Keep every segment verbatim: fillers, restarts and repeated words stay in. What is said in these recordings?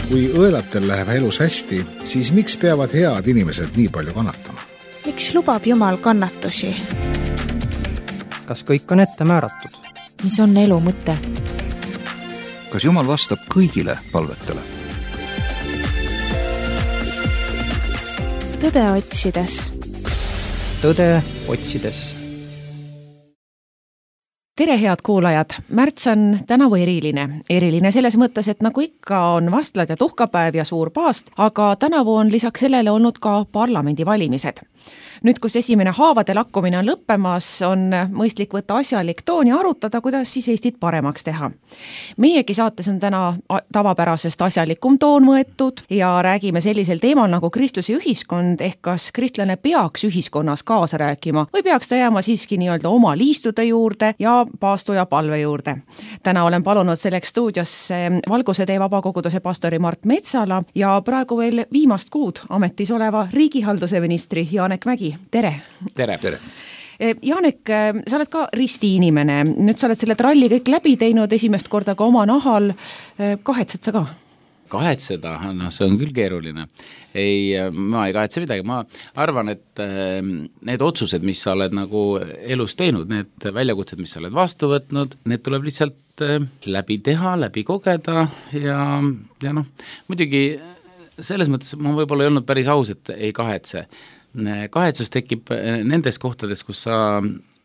Kui õelatel läheb elus hästi, siis miks peavad head inimesed nii palju kannatama? Miks lubab Jumal kannatusi? Kas kõik on ette määratud? Mis on elu mõte? Kas Jumal vastab kõigile palvetele? Tõde otsides. Tõde otsides. Tere, head kuulajad! Märts on tänavu eriline. Eriline selles mõttes, et nagu ikka on vastlad ja tuhkapäev ja suur paast, aga tänavu on lisaks sellele olnud ka parlamendivalimised. Nüüd, kus esimene haavade lakkumine on lõppemas, on mõistlik võtta asjalik toon ja arutada, kuidas siis Eestit paremaks teha. Meiegi saates on täna tavapärasest asjalikum toon võetud ja räägime sellisel teemal nagu kristluse ühiskond, ehk kas kristlane peaks ühiskonnas kaasa rääkima või peaks ta jääma siiski nii-öelda oma liistude juurde ja paastu ja palve juurde. Täna olen palunud selleks stuudiosse Valguse tee vabakoguduse pastori Mart Metsala ja praegu veel viimast kuud ametis oleva riigihalduse ministri Janek Mägi. Tere! Tere! Tere! Janek, sa oled ka risti inimene. Nüüd sa oled selle tralli kõik läbi teinud esimest korda ka oma nahal. Kahetsed sa ka? Kahetseda, no see on küll keeruline. Ei, ma ei kahetse midagi. Ma arvan, et need otsused, mis sa oled nagu elus teinud, need väljakutsed, mis sa oled vastu võtnud, need tuleb lihtsalt läbi teha, läbi kogeda ja, ja noh, muidugi selles mõttes ma võib-olla ei olnud päris aus, et ei kahetse. Kahetsus tekib nendes kohtades, kus sa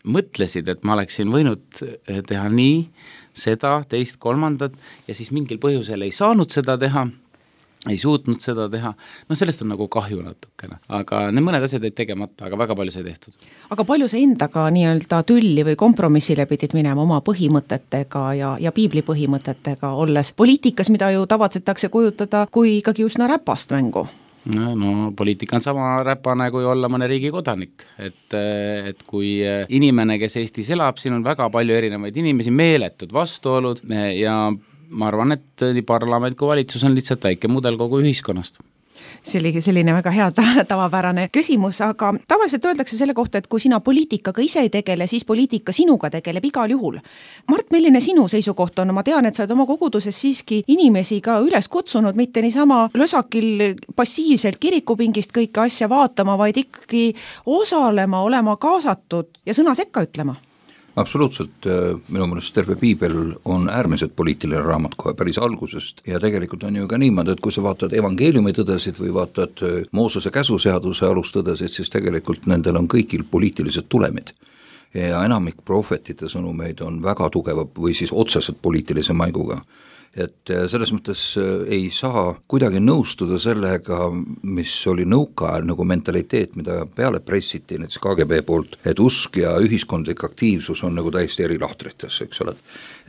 mõtlesid, et ma oleksin võinud teha nii, seda, teist, kolmandat ja siis mingil põhjusel ei saanud seda teha, ei suutnud seda teha. No sellest on nagu kahju natukene, aga need mõned asjad ei tegemata, aga väga palju sai tehtud. Aga palju sa endaga nii-öelda tülli või kompromissile pidid minema oma põhimõtetega ja, ja piibli põhimõtetega olles poliitikas, mida ju tavatsetakse kujutada kui ikkagi üsna räpast mängu? No, no poliitika on sama räpane kui olla mõne riigi kodanik, et, et kui inimene, kes Eestis elab, siin on väga palju erinevaid inimesi, meeletud vastuolud ja ma arvan, et nii parlament kui valitsus on lihtsalt väike mudel kogu ühiskonnast. See oli selline väga hea tavapärane küsimus, aga tavaliselt öeldakse selle kohta, et kui sina poliitikaga ise ei tegele, siis poliitika sinuga tegeleb igal juhul. Mart, milline sinu seisukoht on? Ma tean, et sa oled oma koguduses siiski inimesi ka üles kutsunud, mitte niisama lösakil passiivselt kirikupingist kõike asja vaatama, vaid ikkagi osalema, olema kaasatud ja sõna sekka ütlema. Absoluutselt, minu mõelest terve piibel on äärmiselt poliitiline raamat kohe päris algusest ja tegelikult on ju ka niimoodi, et kui sa vaatad evangeeliumi tõdesid või vaatad Moosese käsuseaduse alustõdesid, siis tegelikult nendel on kõigil poliitilised tulemid. Ja enamik prohvetite sõnumeid on väga tugeva või siis otseselt poliitilise maiguga. Et selles mõttes ei saa kuidagi nõustuda sellega, mis oli nõukaajal nagu mentaliteet, mida peale pressiti näiteks K G B poolt, et usk ja ühiskondlik aktiivsus on nagu täiesti eri lahtrites, eks ole.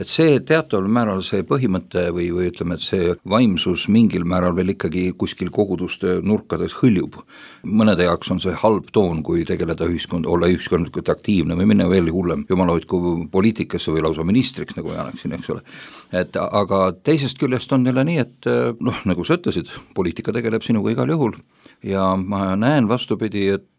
Et see teataval määral see põhimõte või, või ütleme, et see vaimsus mingil määral veel ikkagi kuskil koguduste nurkades hõljub. Mõnede jaoks on see halb toon, kui tegeleda ühiskond, olla ühiskondlikult aktiivne või minna veel hullem jumala hoidku poliitikasse või lausa ministriks, nagu Janek siin, eks ole. Et aga teisest küljest on neile nii, et noh, nagu sa ütlesid, poliitika tegeleb sinuga igal juhul ja ma näen vastupidi, et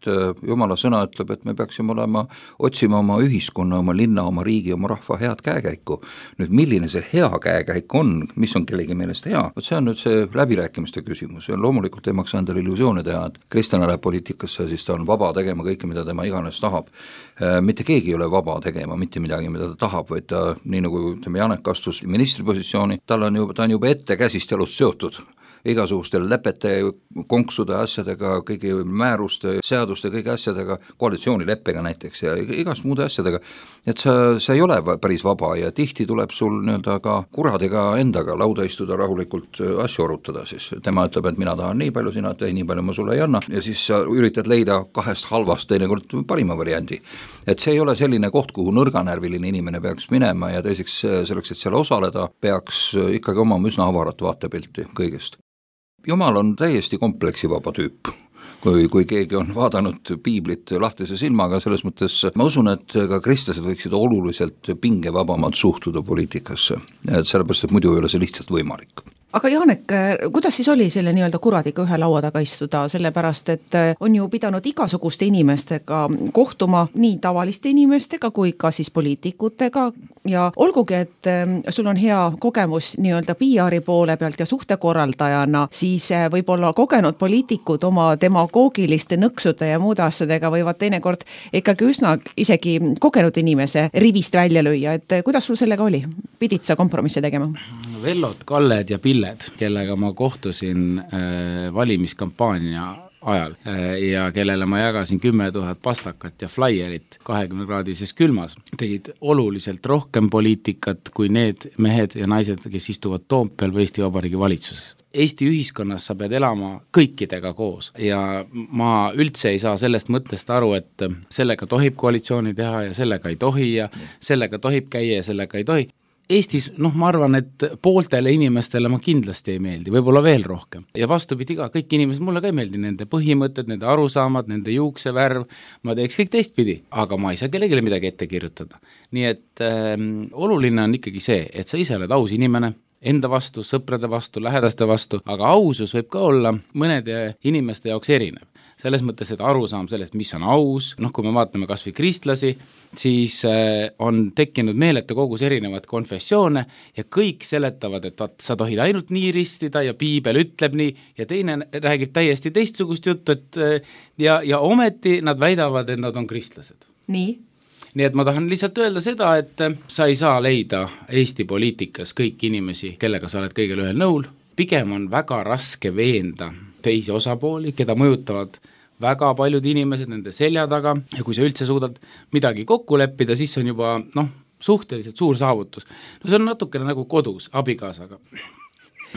Jumala sõna ütleb, et me peaksime olema, otsima oma ühiskonna, oma linna, oma riigi, oma rahva head käekäiku. Nüüd milline see hea käekäik on, mis on kellegi meelest hea, see on nüüd see läbirääkimiste küsimus ja loomulikult ei maksa endale illusioone teha, et kristlane läheb poliitikasse, siis ta on vaba tegema kõike, mida tema iganes tahab. Mitte keegi ei ole vaba tegema, mitte midagi, mida ta tahab, vaid ta, nii nagu ütleme, Janek astus ministripositsiooni, tal on juba, ta on juba ette käsist jalust seotud igasuguste lepete, konksude asjadega, kõigi määruste, seaduste, kõigi asjadega, koalitsioonileppega näiteks ja igast muude asjadega, et sa, sa ei ole päris vaba ja tihti tuleb sul nii-öelda ka kuradiga endaga lauda istuda rahulikult asju arutada, siis tema ütleb, et mina tahan nii palju, sina tei nii palju, ma sulle ei anna ja siis sa üritad leida kahest halvast teinekord parima variandi. Et see ei ole selline koht, kuhu nõrganärviline inimene peaks minema ja teiseks selleks, et seal osaleda, peaks ikkagi oma üsna avarat vaatepilti kõigest. Jumal on täiesti kompleksivaba tüüp, kui, kui keegi on vaadanud piiblit lahtise silmaga, selles mõttes ma usun, et ka kristlased võiksid oluliselt pingevabamalt suhtuda poliitikasse, et sellepärast, et muidu ei ole see lihtsalt võimalik. Aga Janek, kuidas siis oli selle nii-öelda kuradiga ühe laua taga istuda, sellepärast, et on ju pidanud igasuguste inimestega kohtuma, nii tavaliste inimestega kui ka siis poliitikutega, ja olgugi, et sul on hea kogemus nii-öelda P R-i poole pealt ja suhtekorraldajana, siis võib-olla kogenud poliitikud oma demagoogiliste nõksude ja muude asjadega võivad teinekord ikkagi üsna isegi kogenud inimese rivist välja lüüa, et kuidas sul sellega oli? Pidid sa kompromisse tegema? Vellod, Kalled ja Pilled, kellega ma kohtusin äh, valimiskampaania ajal ja kellele ma jagasin kümme tuhat pastakat ja flaierit kahekümne kraadises külmas, tegid oluliselt rohkem poliitikat kui need mehed ja naised, kes istuvad Toompeal või Eesti Vabariigi valitsuses. Eesti ühiskonnas sa pead elama kõikidega koos ja ma üldse ei saa sellest mõttest aru, et sellega tohib koalitsiooni teha ja sellega ei tohi ja sellega tohib käia ja sellega ei tohi. Eestis, noh, ma arvan, et pooltele inimestele ma kindlasti ei meeldi, võib-olla veel rohkem. Ja vastupidi ka, kõik inimesed, mulle ka ei meeldi nende põhimõtted, nende arusaamad, nende juuksevärv, ma teeks kõik teistpidi, aga ma ei saa kellelegi midagi ette kirjutada. Nii et äh, oluline on ikkagi see, et sa ise oled aus inimene, enda vastu, sõprade vastu, lähedaste vastu, aga ausus võib ka olla mõnede inimeste jaoks erinev. Selles mõttes, et arusaam sellest, mis on aus, noh, kui me vaatame kas või kristlasi, siis äh, on tekkinud meeletu kogus erinevad konfessioone ja kõik seletavad, et vaat, sa tohid ainult nii ristida ja piibel ütleb nii ja teine räägib täiesti teistsugust juttu, et äh, ja, ja ometi nad väidavad, et nad on kristlased. Nii? Nii et ma tahan lihtsalt öelda seda, et sa ei saa leida Eesti poliitikas kõiki inimesi, kellega sa oled kõigil ühel nõul, pigem on väga raske veenda teisi osapooli, keda mõjutavad väga paljud inimesed nende selja taga ja kui sa üldse suudad midagi kokku leppida, siis on juba noh, suhteliselt suur saavutus. No see on natukene nagu kodus abikaasaga.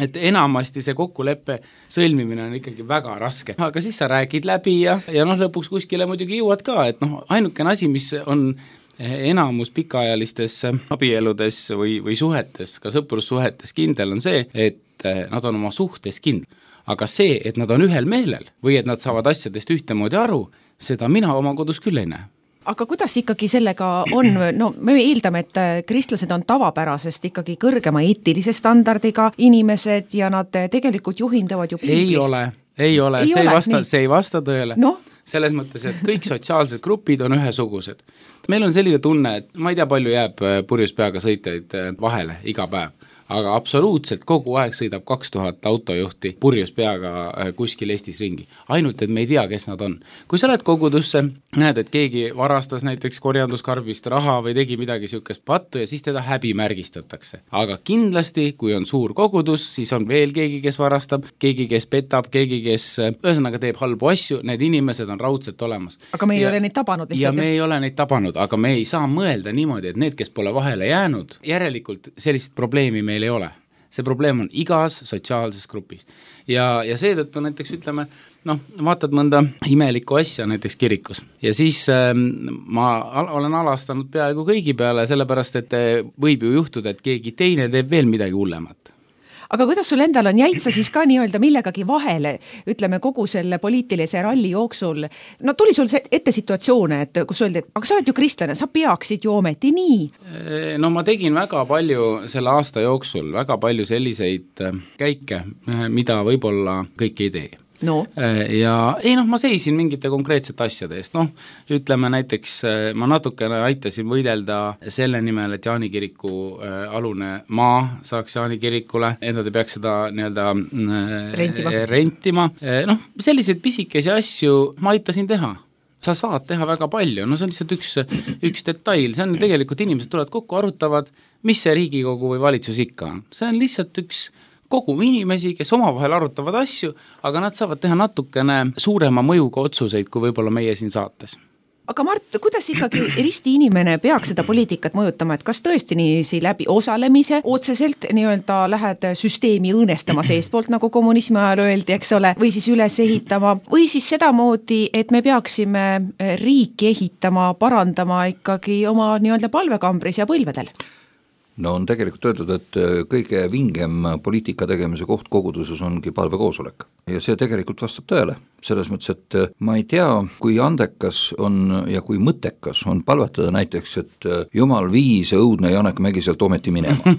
Et enamasti see kokkuleppe sõlmimine on ikkagi väga raske, aga siis sa räägid läbi ja, ja noh, lõpuks kuskile muidugi jõuad ka, et noh, ainukene asi, mis on enamus pikaajalistes abieludes või, või suhetes, ka sõprussuhetes kindel on see, et nad on oma suhtes kindel. Aga see, et nad on ühel meelel või et nad saavad asjadest ühtemoodi aru, seda mina oma kodus küll ei näe. Aga kuidas ikkagi sellega on, no me eeldame, et kristlased on tavapärasest ikkagi kõrgema eetilise standardiga inimesed ja nad tegelikult juhinduvad ju piiblist. Ei ole, ei ole, ei see, ole ei vasta, see ei vasta tõele. No? Selles mõttes, et kõik sotsiaalsed grupid on ühesugused. Meil on selline tunne, et ma ei tea, palju jääb purjus peaga sõitjaid vahele iga päev. Aga absoluutselt kogu aeg sõidab kaks tuhat autojuhti purjus peaga kuskil Eestis ringi. Ainult, et me ei tea, kes nad on. Kui sa oled kogudusse, näed, et keegi varastas näiteks korjanduskarbist raha või tegi midagi siukest pattu ja siis teda häbi märgistatakse. Aga kindlasti, kui on suur kogudus, siis on veel keegi, kes varastab, keegi, kes petab, keegi, kes ühesõnaga teeb halbu asju, need inimesed on raudselt olemas. Aga me ei ja, ole neid tabanud. Ja me ei ole neid tabanud, aga me ei saa mõelda niimoodi, et need, kes pole vahele jäänud, järelikult sellist probleemi meil ei ole. See probleem on igas sotsiaalses grupis. Ja, ja seetõttu näiteks ütleme, noh, vaatad mõnda imelikku asja näiteks kirikus. Ja siis äh, ma al- olen alastanud peaaegu kõigi peale, sellepärast, et võib ju juhtuda, et keegi teine teeb veel midagi hullemat. Aga kuidas sul endal on, jäid sa siis ka nii-öelda millegagi vahele, ütleme kogu selle poliitilise ralli jooksul, no tuli sul ette situatsioone, et kus öeldi, et aga sa oled ju kristlane, sa peaksid ju ometi nii? No ma tegin väga palju selle aasta jooksul, väga palju selliseid käike, mida võib-olla kõik ei tee. No. Ja ei noh, ma seisin mingite konkreetsete asjade eest, noh, ütleme näiteks ma natukene aitasin võidelda selle nimel, et Jaani kiriku alune maa saaks Jaani kirikule, et nad ei peaks seda nii-öelda rentima, rentima. noh, selliseid pisikesi asju ma aitasin teha. Sa saad teha väga palju, no see on lihtsalt üks, üks detail, see on tegelikult inimesed tulevad kokku, arutavad, mis see Riigikogu või valitsus ikka on. See on lihtsalt üks kogum inimesi, kes omavahel arutavad asju, aga nad saavad teha natukene suurema mõjuga otsuseid, kui võib-olla meie siin saates. Aga Mart, kuidas ikkagi risti inimene peaks seda poliitikat mõjutama, et kas tõesti nii läbi osalemise otseselt nii-öelda lähed süsteemi õõnestama seespoolt, nagu kommunismi ajal öeldi, eks ole, või siis üles ehitama, või siis sedamoodi, et me peaksime riiki ehitama, parandama ikkagi oma nii-öelda palvekambris ja põlvedel? no on tegelikult öeldud, et kõige vingem poliitika tegemise koht koguduses ongi palvekoosolek ja see tegelikult vastab tõele, selles mõttes, et ma ei tea, kui andekas on ja kui mõttekas on palvetada näiteks, et Jumal vii see õudne Janek Mägi sealt ometi minema.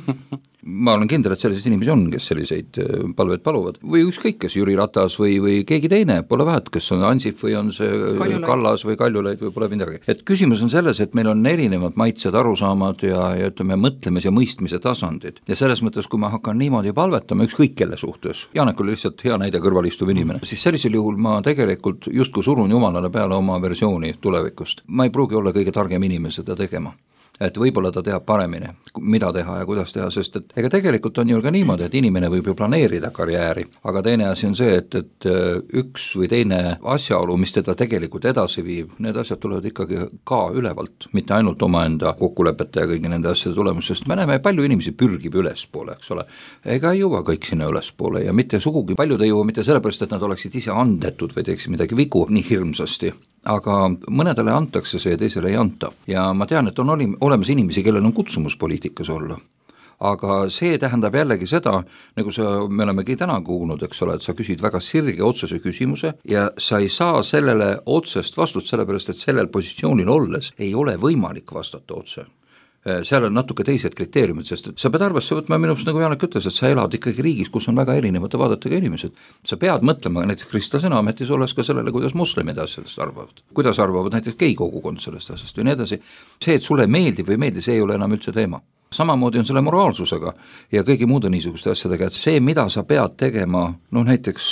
Ma olen kindel, et selliseid inimesi on, kes selliseid palveid paluvad või ükskõik, kes Jüri Ratas või, või keegi teine, pole vahet, kes on Ansip või on see Kaljulaid. Kallas või Kaljulaid või pole midagi. Et küsimus on selles, et meil on erinevad maitsed, arusaamad ja, ja ütleme mõtlemise ja mõistmise tasandid ja selles mõttes, kui ma hakkan niimoodi palvetama ükskõik kelle suhtes, Janek oli lihtsalt hea näide kõrval istuv inimene, siis sellisel juhul ma tegelikult justkui surun Jumalale peale oma versiooni tulevikust. Ma ei pruugi olla kõige targem inimene seda tegema. Et võib-olla ta teab paremini, mida teha ja kuidas teha, sest et ega tegelikult on ju ka niimoodi, et inimene võib ju planeerida karjääri, aga teine asi on see, et, et üks või teine asjaolu, mis teda tegelikult edasi viib, need asjad tulevad ikkagi ka ülevalt, mitte ainult omaenda kokkulepete ja kõigi nende asjade tulemus, sest me näeme, palju inimesi pürgib ülespoole, eks ole, ega ei jõua kõik sinna ülespoole ja mitte sugugi, paljud ei jõua mitte sellepärast, et nad oleksid ise andetud või teeksid midagi vigu nii hirmsasti, aga mõnedele antakse see, teisele ei anta ja ma tean, et on olim, olemas inimesi, kellel on kutsumus poliitikas olla, aga see tähendab jällegi seda, nagu sa, me olemegi täna kuulnud, eks ole, et sa küsid väga sirge otsese küsimuse ja sa ei saa sellele otsest vastust, sellepärast et sellel positsioonil olles ei ole võimalik vastata otse. Seal on natuke teised kriteeriumid, sest sa pead arvesse võtma minust, nagu Janek ütles, et sa elad ikkagi riigis, kus on väga erinevate vaadetega inimesed. Sa pead mõtlema näiteks kristlasena ametis olles ka sellele, kuidas moslemid asjadest arvavad. Kuidas arvavad näiteks gei kogukond sellest asjast või nii edasi. See, et sulle meeldib või meeldib, see ei ole enam üldse teema. Samamoodi on selle moraalsusega ja kõigi muude niisuguste asjadega, et see, mida sa pead tegema, noh näiteks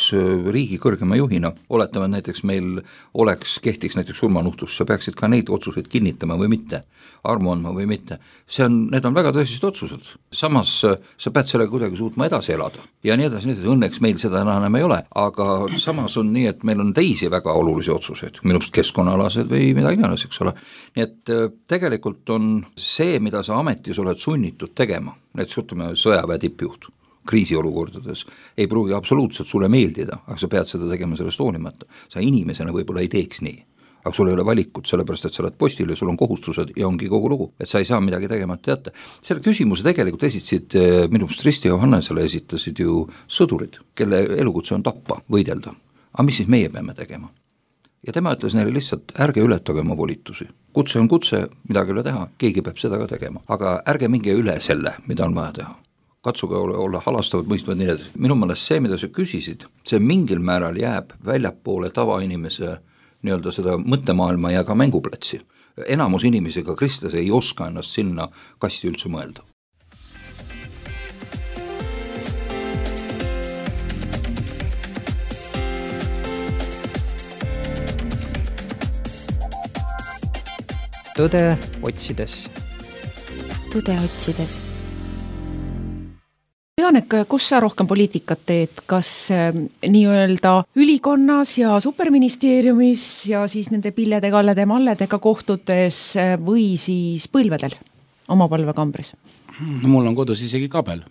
riigi kõrgema juhina, oletame näiteks meil oleks, kehtiks näiteks surmanuhtlus, sa peaksid ka neid otsuseid kinnitama või mitte, armu andma või mitte, see on, need on väga tõsised otsused, samas sa pead sellega kuidagi suutma edasi elada ja nii edasi, nii edasi, õnneks meil seda enam ei ole, aga samas on nii, et meil on teisi väga olulisi otsuseid, minust keskkonnaalased või midagi iganes, eks ole, nii et tegelikult on see, mida sa ametis oled sunnitud tegema, näiteks ütleme sõjaväe tippjuht kriisiolukordades, ei pruugi absoluutselt sulle meeldida, aga sa pead seda tegema sellest hoolimata. Sa inimesena võib-olla ei teeks nii, aga sul ei ole valikut, sellepärast et sa oled postil ja sul on kohustused ja ongi kogu lugu, et sa ei saa midagi tegemata jätta. Selle küsimuse tegelikult esitasid, minu meelest Risti Johannesele esitasid ju sõdurid, kelle elukutse on tappa, võidelda. Aga mis siis meie peame tegema? Ja tema ütles neile lihtsalt, ärge ületage oma volitusi. Kutse on kutse, midagi üle teha, keegi peab seda ka tegema. Aga ärge minge üle selle, mida on vaja teha. Katsuge olla, olla halastavad, mõistvad nii edasi. Minu mõelest see, mida sa küsisid, see mingil määral jääb väljapoole tavainimese nii-öelda seda mõttemaailma ja ka mänguplatsi. Enamus inimesi, ka kristlas, ei oska ennast sinna kasti üldse mõelda. Tõde otsides. Tõde otsides. Janek, kus sa rohkem poliitikat teed, kas nii-öelda ülikonnas ja superministeeriumis ja siis nende pillede, kallede, malledega kohtutes või siis põlvedel oma palvekambris? No, mul on kodus isegi kabel.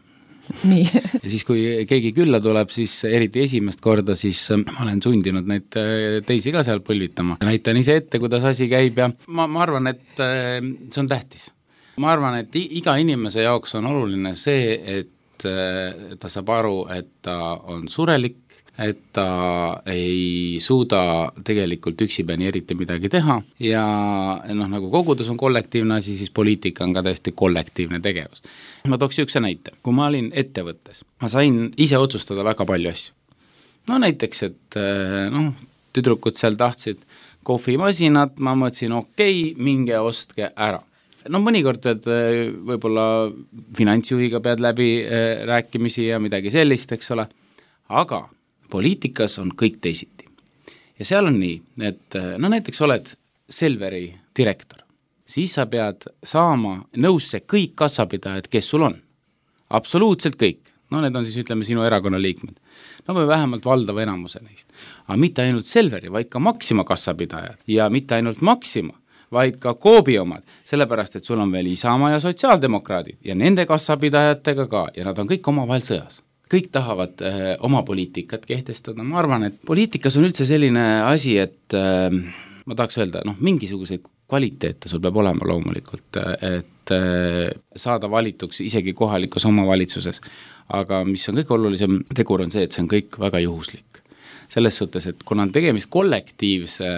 Nii. Ja siis, kui keegi külla tuleb, siis eriti esimest korda, siis ma olen sundinud neid teisi ka seal põlvitama. Näitan ise ette, kuidas asi käib ja ma, ma arvan, et see on tähtis. Ma arvan, et iga inimese jaoks on oluline see, et ta saab aru, et ta on surelik, et ta ei suuda tegelikult üksipäini eriti midagi teha ja noh, nagu kogudus on kollektiivne asi, siis poliitika on ka täiesti kollektiivne tegevus. Ma tooks ükse näite. Kui ma olin ettevõttes, ma sain ise otsustada väga palju asju. No näiteks, et noh, tüdrukud seal tahtsid kohvimasinat, ma mõtlesin, okei, minge ostke ära. No mõnikord teed võib-olla finantsjuhiga pead läbi rääkimisi ja midagi sellist, eks ole, aga poliitikas on kõik teisiti. Ja seal on nii, et no näiteks oled Selveri direktor, siis sa pead saama nõusse kõik kassapidajad, kes sul on. Absoluutselt kõik. No need on siis, ütleme, sinu erakonna liikmed. No või vähemalt valdava enamuse neist. Aga mitte ainult Selveri, vaid ka Maxima kassapidajad ja mitte ainult Maxima, vaid ka Koobi omad, sellepärast, et sul on veel Isamaa ja sotsiaaldemokraadid ja nende kassapidajatega ka ja nad on kõik omavahel sõjas. Kõik tahavad äh, oma poliitikat kehtestada, ma arvan, et poliitikas on üldse selline asi, et äh, ma tahaks öelda, noh, mingisuguseid kvaliteete sul peab olema loomulikult, et saada valituks isegi kohalikus omavalitsuses. Aga mis on kõige olulisem tegur on see, et see on kõik väga juhuslik. Selles suhtes, et kuna on tegemist kollektiivse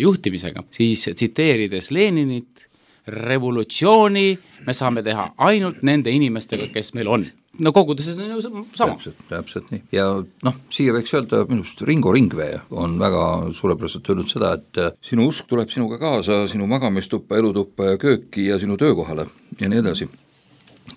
juhtimisega, siis tsiteerides Leninit, revolutsiooni me saame teha ainult nende inimestega, kes meil on. No koguduses on ju sama. Täpselt, täpselt nii. Ja noh, siia võiks öelda, minust Ringo Ringvee on väga suurepäraselt öelnud seda, et sinu usk tuleb sinuga kaasa, sinu magamistuppa, elutuppa ja kööki ja sinu töökohale ja nii edasi.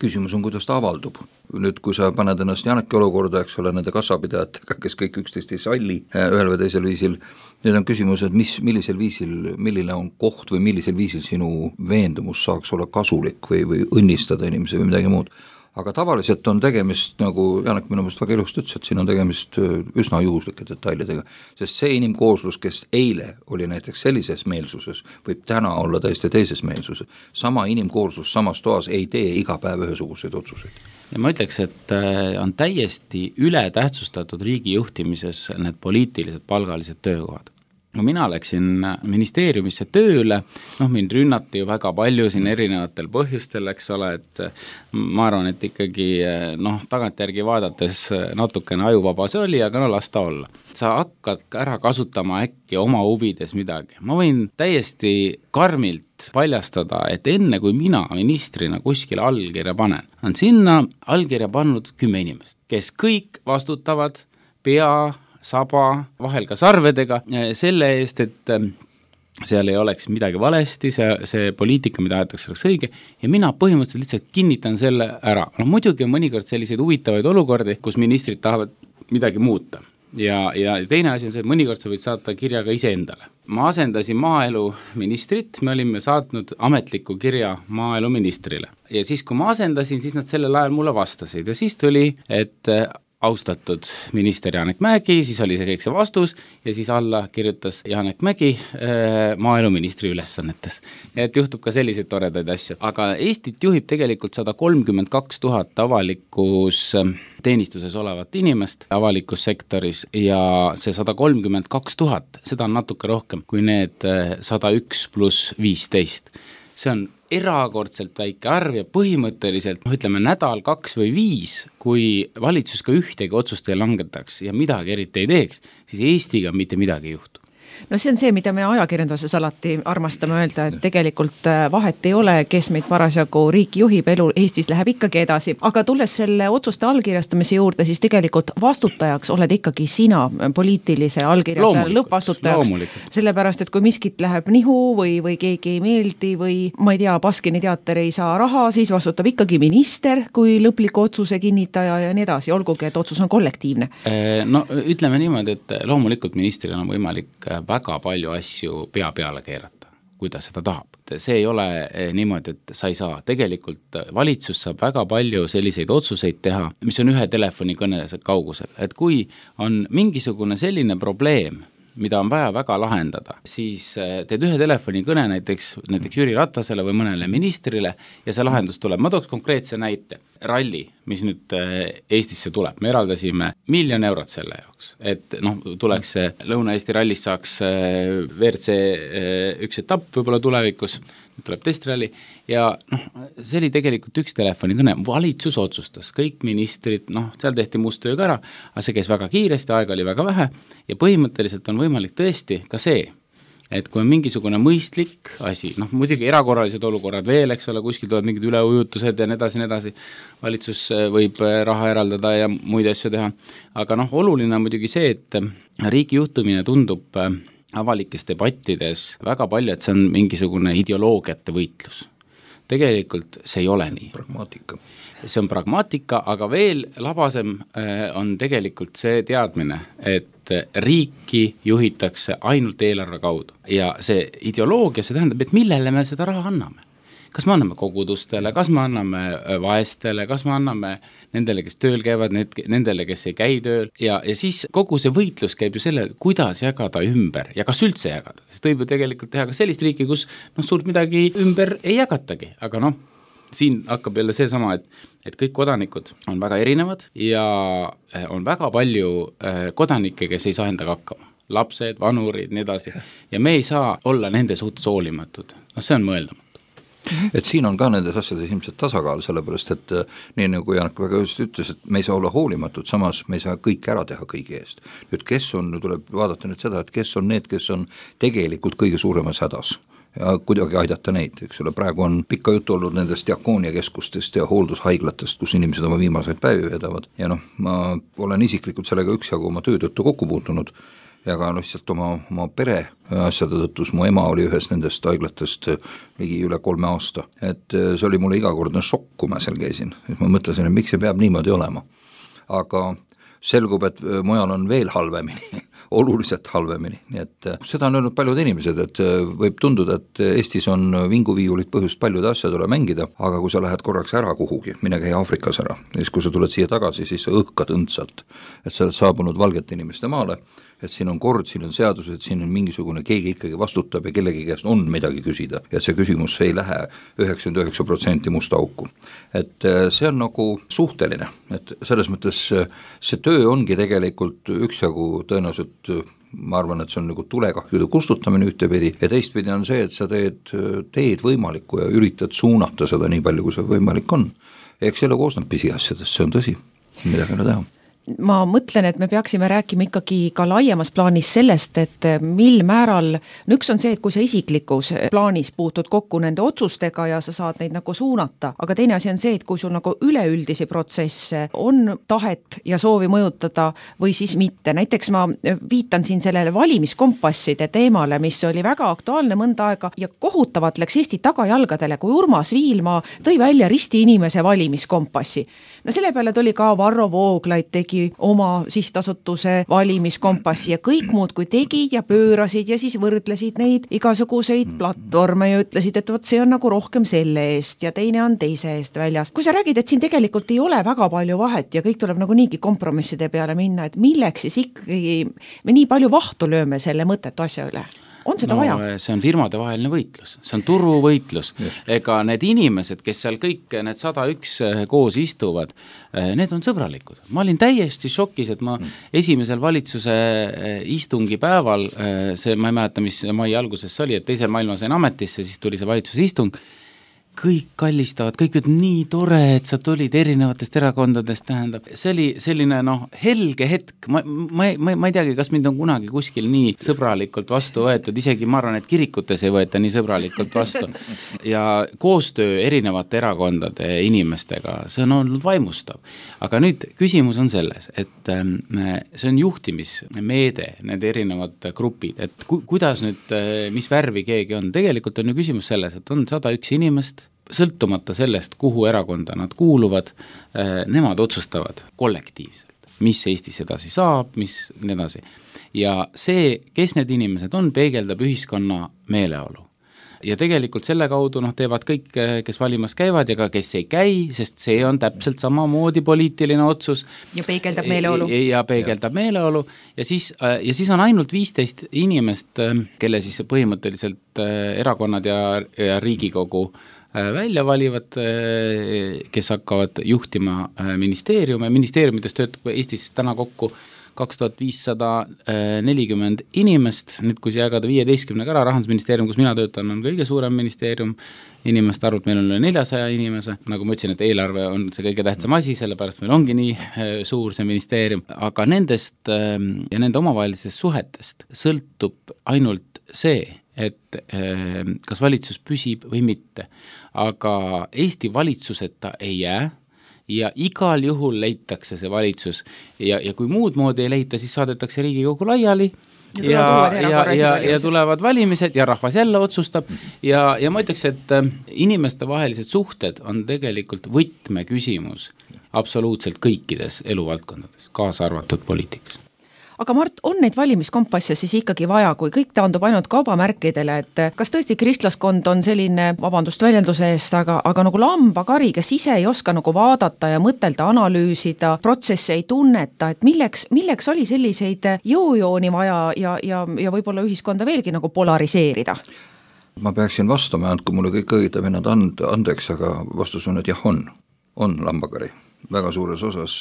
Küsimus on, kuidas ta avaldub. Nüüd, kui sa paned ennast Janeki olukorda, eks ole, nende kassapidajatega, kes kõik üksteist ei salli ühel või teisel viisil, nüüd on küsimus, et mis, millisel viisil, milline on koht või millisel viisil sinu veendumus saaks olla kasulik või, või õnnistada inimese või midagi muud. Aga tavaliselt on tegemist, nagu Janek minu mõist väga ilusti ütles, et siin on tegemist üsna juhuslike detailidega, sest see inimkooslus, kes eile oli näiteks sellises meelsuses, võib täna olla täiesti teises meelsuses. Sama inimkooslus samas toas ei tee iga päev ühesuguseid otsuseid. Ja ma ütleks, et on täiesti ületähtsustatud riigi juhtimises need poliitilised palgalised töökohad. No mina läksin ministeeriumisse tööle, noh mind rünnati ju väga palju siin erinevatel põhjustel, eks ole, et ma arvan, et ikkagi noh, tagantjärgi vaadates natukene ajuvaba see oli, aga no las ta olla. Sa hakkad ära kasutama äkki oma huvides midagi. Ma võin täiesti karmilt paljastada, et enne kui mina ministrina kuskile allkirja panen, on sinna allkirja pannud kümme inimest, kes kõik vastutavad pea saba, vahel ka sarvedega, selle eest, et seal ei oleks midagi valesti, see, see poliitika, mida aetakse, oleks õige, ja mina põhimõtteliselt lihtsalt kinnitan selle ära. No muidugi on mõnikord selliseid huvitavaid olukordi, kus ministrid tahavad midagi muuta. Ja, ja teine asi on see, et mõnikord sa võid saata kirja ka ise endale. Ma asendasin maaelu ministrit, me olime saatnud ametliku kirja maaelu ministrile. Ja siis, kui ma asendasin, siis nad sellel ajal mulle vastasid. Ja siis tuli, et austatud minister Janek Mägi, siis oli see kõik see vastus ja siis alla kirjutas Janek Mägi äh, maaeluministri ülesannetes. Et juhtub ka selliseid toredaid asju. Aga Eestit juhib tegelikult sada kolmkümmend kaks tuhat avalikus teenistuses olevat inimest avalikus sektoris ja see sada kolmkümmend kaks tuhat, seda on natuke rohkem kui need sada üks pluss viisteist. See on erakordselt väike arv ja põhimõtteliselt, no ütleme nädal, kaks või viis, kui valitsus ka ühtegi otsust ei langetaks ja midagi eriti ei teeks, siis Eestiga mitte midagi ei juhtu. No see on see, mida me ajakirjanduses alati armastame öelda, et tegelikult vahet ei ole, kes meid parasjagu riiki juhib, elu Eestis läheb ikkagi edasi. Aga tulles selle otsuste allkirjastamise juurde, siis tegelikult vastutajaks oled ikkagi sina poliitilise allkirjastaja lõppvastutajaks. Sellepärast, et kui miskit läheb nihu või, või keegi ei meeldi või ma ei tea, Baskini teater ei saa raha, siis vastutab ikkagi minister kui lõpliku otsuse kinnitaja ja nii edasi, olgugi, et otsus on kollektiivne. No ütleme niimoodi, et loomulikult ministril on võimalik väga palju asju pea peale keerata, kui ta seda tahab. See ei ole niimoodi, et sa ei saa. Tegelikult valitsus saab väga palju selliseid otsuseid teha, mis on ühe telefonikõne kaugusel. Et kui on mingisugune selline probleem, mida on vaja väga lahendada, siis teed ühe telefonikõne näiteks, näiteks Jüri Ratasele või mõnele ministrile ja see lahendus tuleb. Ma tooks konkreetse näite. Ralli, mis nüüd Eestisse tuleb. Me eraldasime miljon eurot selle jaoks, et noh, tuleks Lõuna-Eesti rallist saaks V R C üks etapp võib-olla tulevikus, tuleb testralli ja noh, see oli tegelikult üks telefonikõne, valitsus otsustas, kõik ministrid, noh, seal tehti must töö ka ära, aga see käis väga kiiresti, aega oli väga vähe ja põhimõtteliselt on võimalik tõesti ka see, et kui on mingisugune mõistlik asi, noh muidugi erakorralised olukorrad veel, eks ole, kuskil tulevad mingid üleujutused ja nii edasi, nii edasi, valitsus võib raha eraldada ja muid asju teha, aga noh, oluline on muidugi see, et riigi juhtumine tundub avalikes debattides väga palju, et see on mingisugune ideoloogiate võitlus. Tegelikult see ei ole nii. Pragmaatika. See on pragmaatika, aga veel labasem on tegelikult see teadmine, et riiki juhitakse ainult eelarve kaudu. Ja see ideoloogia, see tähendab, et millele me seda raha anname. Kas me anname kogudustele, kas me anname vaestele, kas me anname nendele, kes tööl käivad, nendele, kes ei käi tööl ja, ja siis kogu see võitlus käib ju selle, kuidas jagada ümber ja kas üldse jagada, sest võib ju tegelikult teha ka sellist riiki, kus noh, suurt midagi ümber ei jagatagi, aga noh, siin hakkab jälle see sama, et, et kõik kodanikud on väga erinevad ja on väga palju kodanikke, kes ei saa endaga hakkama. lapsed, vanurid, nii edasi. Ja me ei saa olla nende suhtes hoolimatud. No see on mõeldamatu. Et siin on ka nendes asjades ilmselt tasakaal, sellepärast et nii nagu Janek väga just ütles, et me ei saa olla hoolimatud, samas me ei saa kõik ära teha kõigi eest. Nüüd kes on, tuleb vaadata nüüd seda, et kes on need, kes on tegelikult kõige suuremas hädas ja kuidagi aidata neid, eks ole, praegu on pikka juttu olnud nendest diakooniakeskustest ja hooldushaiglatest, kus inimesed oma viimaseid päevi vedavad ja noh, ma olen isiklikult sellega üksjagu oma töötõttu kokku puutunud ja ka lihtsalt oma, oma pere asjade tõttus, mu ema oli ühes nendest haiglatest ligi üle kolme aasta, et see oli mulle igakordne šokk, kui ma seal käisin, et ma mõtlesin, et miks see peab niimoodi olema, aga selgub, et mujal on veel halvemini, oluliselt halvemini, nii et seda on öelnud paljud inimesed, et võib tunduda, et Eestis on vinguviiulit põhjust paljude asjadele mängida, aga kui sa lähed korraks ära kuhugi, mine käi Aafrikas ära, ja siis kui sa tuled siia tagasi, siis sa õhkad õndsalt, et sa oled saabunud valgete inimeste maale, et siin on kord, siin on seadused, siin on mingisugune, keegi ikkagi vastutab ja kellegi käest on midagi küsida, ja see küsimus ei lähe üheksakümmend üheksa protsenti musta auku. Et see on nagu suhteline, et selles mõttes see töö ongi tegelikult üksjagu tõenäoliselt, ma arvan, et see on nagu tulekahjude kustutamine ühtepidi ja teistpidi on see, et sa teed, teed võimalikku ja üritad suunata seda nii palju, kui see võimalik on. Eks selle koosneb pisiasjadest, see on tõsi, midagi ei ole teha. Ma mõtlen, et me peaksime rääkima ikkagi ka laiemas plaanis sellest, et mil määral, no üks on see, et kui sa isiklikus plaanis puutud kokku nende otsustega ja sa saad neid nagu suunata, aga teine asi on see, et kui sul nagu üleüldisi protsesse on tahet ja soovi mõjutada või siis mitte. Näiteks ma viitan siin sellele valimiskompasside teemale, mis oli väga aktuaalne mõnda aega ja kohutavalt läks Eesti tagajalgadele, kui Urmas Viilma tõi välja risti inimese valimiskompassi. No selle peale tuli ka Varro Vooglaid tegi oma sihtasutuse valimiskompassi ja kõik muud kui tegid ja pöörasid ja siis võrdlesid neid igasuguseid platvorme ja ütlesid, et võt see on nagu rohkem selle eest ja teine on teise eest väljas. Kui sa räägid, et siin tegelikult ei ole väga palju vahet ja kõik tuleb nagu niigi kompromisside peale minna, et milleks siis ikkagi me nii palju vahtu lööme selle mõttetu asja üle? On seda no, vaja? See on firmade vaheline võitlus, see on turuvõitlus. Ega need inimesed, kes seal kõik need sada üks koos istuvad, need on sõbralikud. Ma olin täiesti šokis, et ma esimesel valitsuse istungi päeval, see, ma ei mäleta, mis mai alguses oli, et teisel maailma sain ametisse, siis tuli see valitsuse istung, kõik kallistavad, kõik üt nii tore, et sa tulid erinevatest erakondadest, tähendab, see oli selline noh, helge hetk, ma, ma, ma, ma ei teagi, kas mind on kunagi kuskil nii sõbralikult vastu võetud, isegi ma arvan, et kirikutes ei võeta nii sõbralikult vastu ja koostöö erinevate erakondade inimestega, see on olnud vaimustav, aga nüüd küsimus on selles, et see on juhtimismeede, need erinevad grupid, et ku, kuidas nüüd, mis värvi keegi on, tegelikult on ju küsimus selles, et on sada üks inimest, sõltumata sellest, kuhu erakonda nad kuuluvad, nemad otsustavad kollektiivselt, mis Eestis edasi saab, mis nii edasi. Ja see, kes need inimesed on, peegeldab ühiskonna meeleolu. Ja tegelikult selle kaudu noh, teevad kõik, kes valimas käivad ja ka kes ei käi, sest see on täpselt samamoodi poliitiline otsus. Ja peegeldab meeleolu. Ja, ja peegeldab ja. meeleolu ja siis, ja siis on ainult viisteist inimest, kelle siis põhimõtteliselt erakonnad ja, ja Riigikogu välja valivad, kes hakkavad juhtima ministeeriume. Ministeeriumides töötab Eestis täna kokku kaks tuhat viissada nelikümmend inimest, nüüd kui jagada viieteistkümnega ära, Rahandusministeerium, kus mina töötan, on kõige suurem ministeerium, inimeste arvult meil on üle neljasaja inimese, nagu ma ütlesin, et eelarve on see kõige tähtsam asi, sellepärast meil ongi nii suur see ministeerium, aga nendest ja nende omavahelistest suhetest sõltub ainult see, et kas valitsus püsib või mitte. Aga Eesti valitsuseta ei jää ja igal juhul leitakse see valitsus ja, ja kui muud moodi ei leita, siis saadetakse Riigikogu laiali ja, ja, ja, ja, ja tulevad valimised ja rahvas jälle otsustab ja, ja ma ütleks, et inimeste vahelised suhted on tegelikult võtmeküsimus absoluutselt kõikides eluvaldkondades, kaasa arvatud poliitikas. Aga Mart, on neid valimiskompasse siis ikkagi vaja, kui kõik taandub ainult kaubamärkidele, et kas tõesti kristlaskond on selline, vabandust väljenduse eest, aga, aga nagu lambakari, kes ise ei oska nagu vaadata ja mõtelda, analüüsida, protsesse ei tunneta, et milleks, milleks oli selliseid jõujooni vaja ja, ja, ja võib-olla ühiskonda veelgi nagu polariseerida? Ma peaksin vastama, andku mulle kõik õiged vennad and, andeks, aga vastus on, et jah, on, on lambakari. väga suures osas.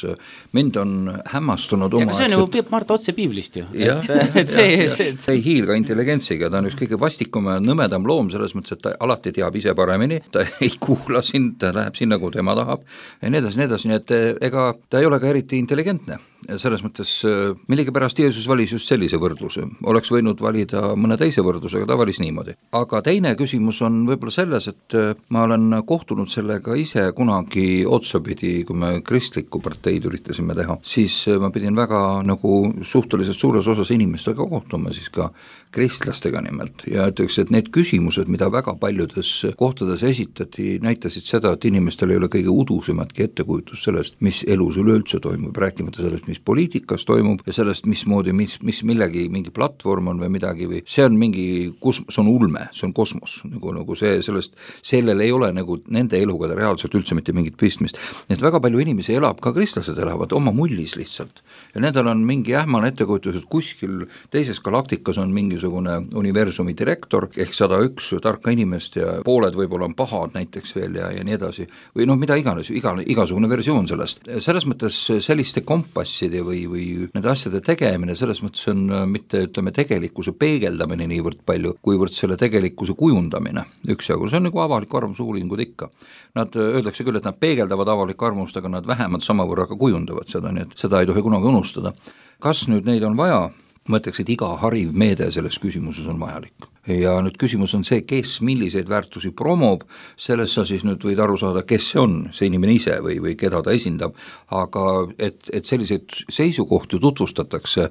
Mind on hämmastunud oma... Ja see on ju Mart otse piiblist ju. Ja, et, et see, ja, see, ja. see ei hiilga intelligentsiga, ta on üks kõige vastikum ja nõmedam loom selles mõttes, et ta alati teab ise paremini, ta ei kuula sind, ta läheb sinna, kuhu tema tahab ja nii edasi, nii edasi, nii et ega ta ei ole ka eriti intelligentne. Selles mõttes millegipärast Jeesus valis just sellise võrdluse, oleks võinud valida mõne teise võrdluse, aga ta valis niimoodi. Aga teine küsimus on võib-olla selles, et ma olen kohtunud sellega ise kunagi otsapidi, kui me kristlikku parteid üritasime teha, siis ma pidin väga nagu suhteliselt suures osas inimestega kohtuma, siis ka kristlastega nimelt ja ütleks, et need küsimused, mida väga paljudes kohtades esitati, näitasid seda, et inimestel ei ole kõige udusematki ettekujutus sellest, mis elus üleüldse toimub, rääkimata sellest, mis poliitikas toimub ja sellest, mismoodi, mis, mis millegi, mingi platvorm on või midagi või see on mingi, kus, see on ulme, see on kosmos, nagu, nagu see, sellest, sellel ei ole nagu nende eluga reaalselt üldse mitte mingit pistmist. Nii et väga palju inimesi elab, ka kristlased elavad oma mullis lihtsalt ja nendel on mingi ähmane ettekujutus, et kuskil teises galaktikas on mingisugune universumi direktor ehk sada üks tarka inimest ja pooled võib-olla on pahad näiteks veel ja, ja nii edasi või noh, mida iganes, iga, igasugune versioon sellest. Selles mõttes selliste kompasside või, või nende asjade tegemine, selles mõttes on mitte ütleme tegelikkuse peegeldamine niivõrd palju, kuivõrd selle tegelikkuse kujundamine üksjagu, see on nagu avaliku arvamuse uuringud ikka. Nad öeldakse küll, et nad peegeldavad avalikku arvamust, aga nad vähemalt samavõrra ka kujundavad seda, nii et seda ei tohi kunagi unustada. Kas nüüd neid on vaja? Ma ütleks, et iga hariv meede selles küsimuses on vajalik. Ja nüüd küsimus on see, kes milliseid väärtusi promob, selles sa siis nüüd võid aru saada, kes see on, see inimene ise või, või keda ta esindab, aga et, et selliseid seisukohti tutvustatakse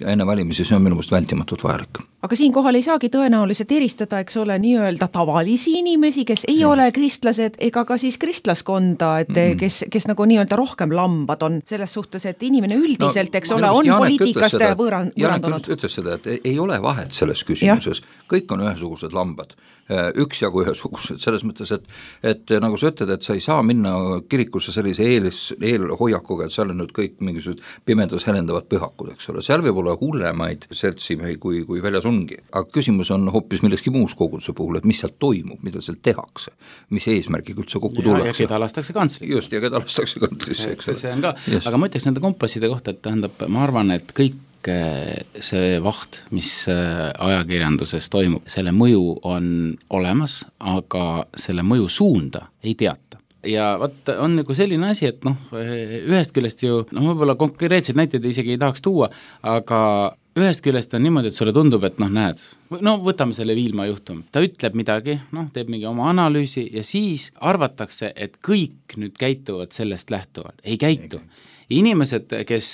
enne valimisi, see on minu meelest vältimatult vajalik. Aga siinkohal ei saagi tõenäoliselt eristada, eks ole, nii-öelda tavalisi inimesi, kes ei mm. ole kristlased ega ka siis kristlaskonda, et mm. kes, kes nagu nii-öelda rohkem lambad on selles suhtes, et inimene üldiselt, no, eks ole, on Janek poliitikast võõran, võõrandunud. Janek ütles seda, et ei ole vahet selles küsimuses, ja. Kõik on ühesugused lambad, üksjagu ühesugused, selles mõttes, et, et nagu sa ütled, et sa ei saa minna kirikusse sellise eelis, eelhoiakuga, et seal on nüüd kõik mingisugused pimedas helendavad pühakud, eks ole, seal võib olla hullemaid seltsimehi kui, kui väljas ongi, aga küsimus on hoopis milleski muus koguduse puhul, et mis seal toimub, mida seal tehakse, mis eesmärgiga üldse kokku tullakse. Ja keda lastakse kantlisse. Just, ja keda lastakse kantlisse, eks ole. See on ka, yes. Aga ma ütleks nende kompasside kohta, et tähendab, ma arvan, et kõik see vaht, mis ajakirjanduses toimub, selle mõju on olemas, aga selle mõju suunda ei teata. Ja vaat on nagu selline asi, et noh, ühest küljest ju, noh võib-olla konkreetseid näiteid isegi ei tahaks tuua, aga ühest küljest on niimoodi, et sulle tundub, et noh näed, no võtame selle Viilma juhtum, ta ütleb midagi, noh teeb mingi oma analüüsi ja siis arvatakse, et kõik nüüd käituvad sellest lähtuvalt, ei käitu. Inimesed, kes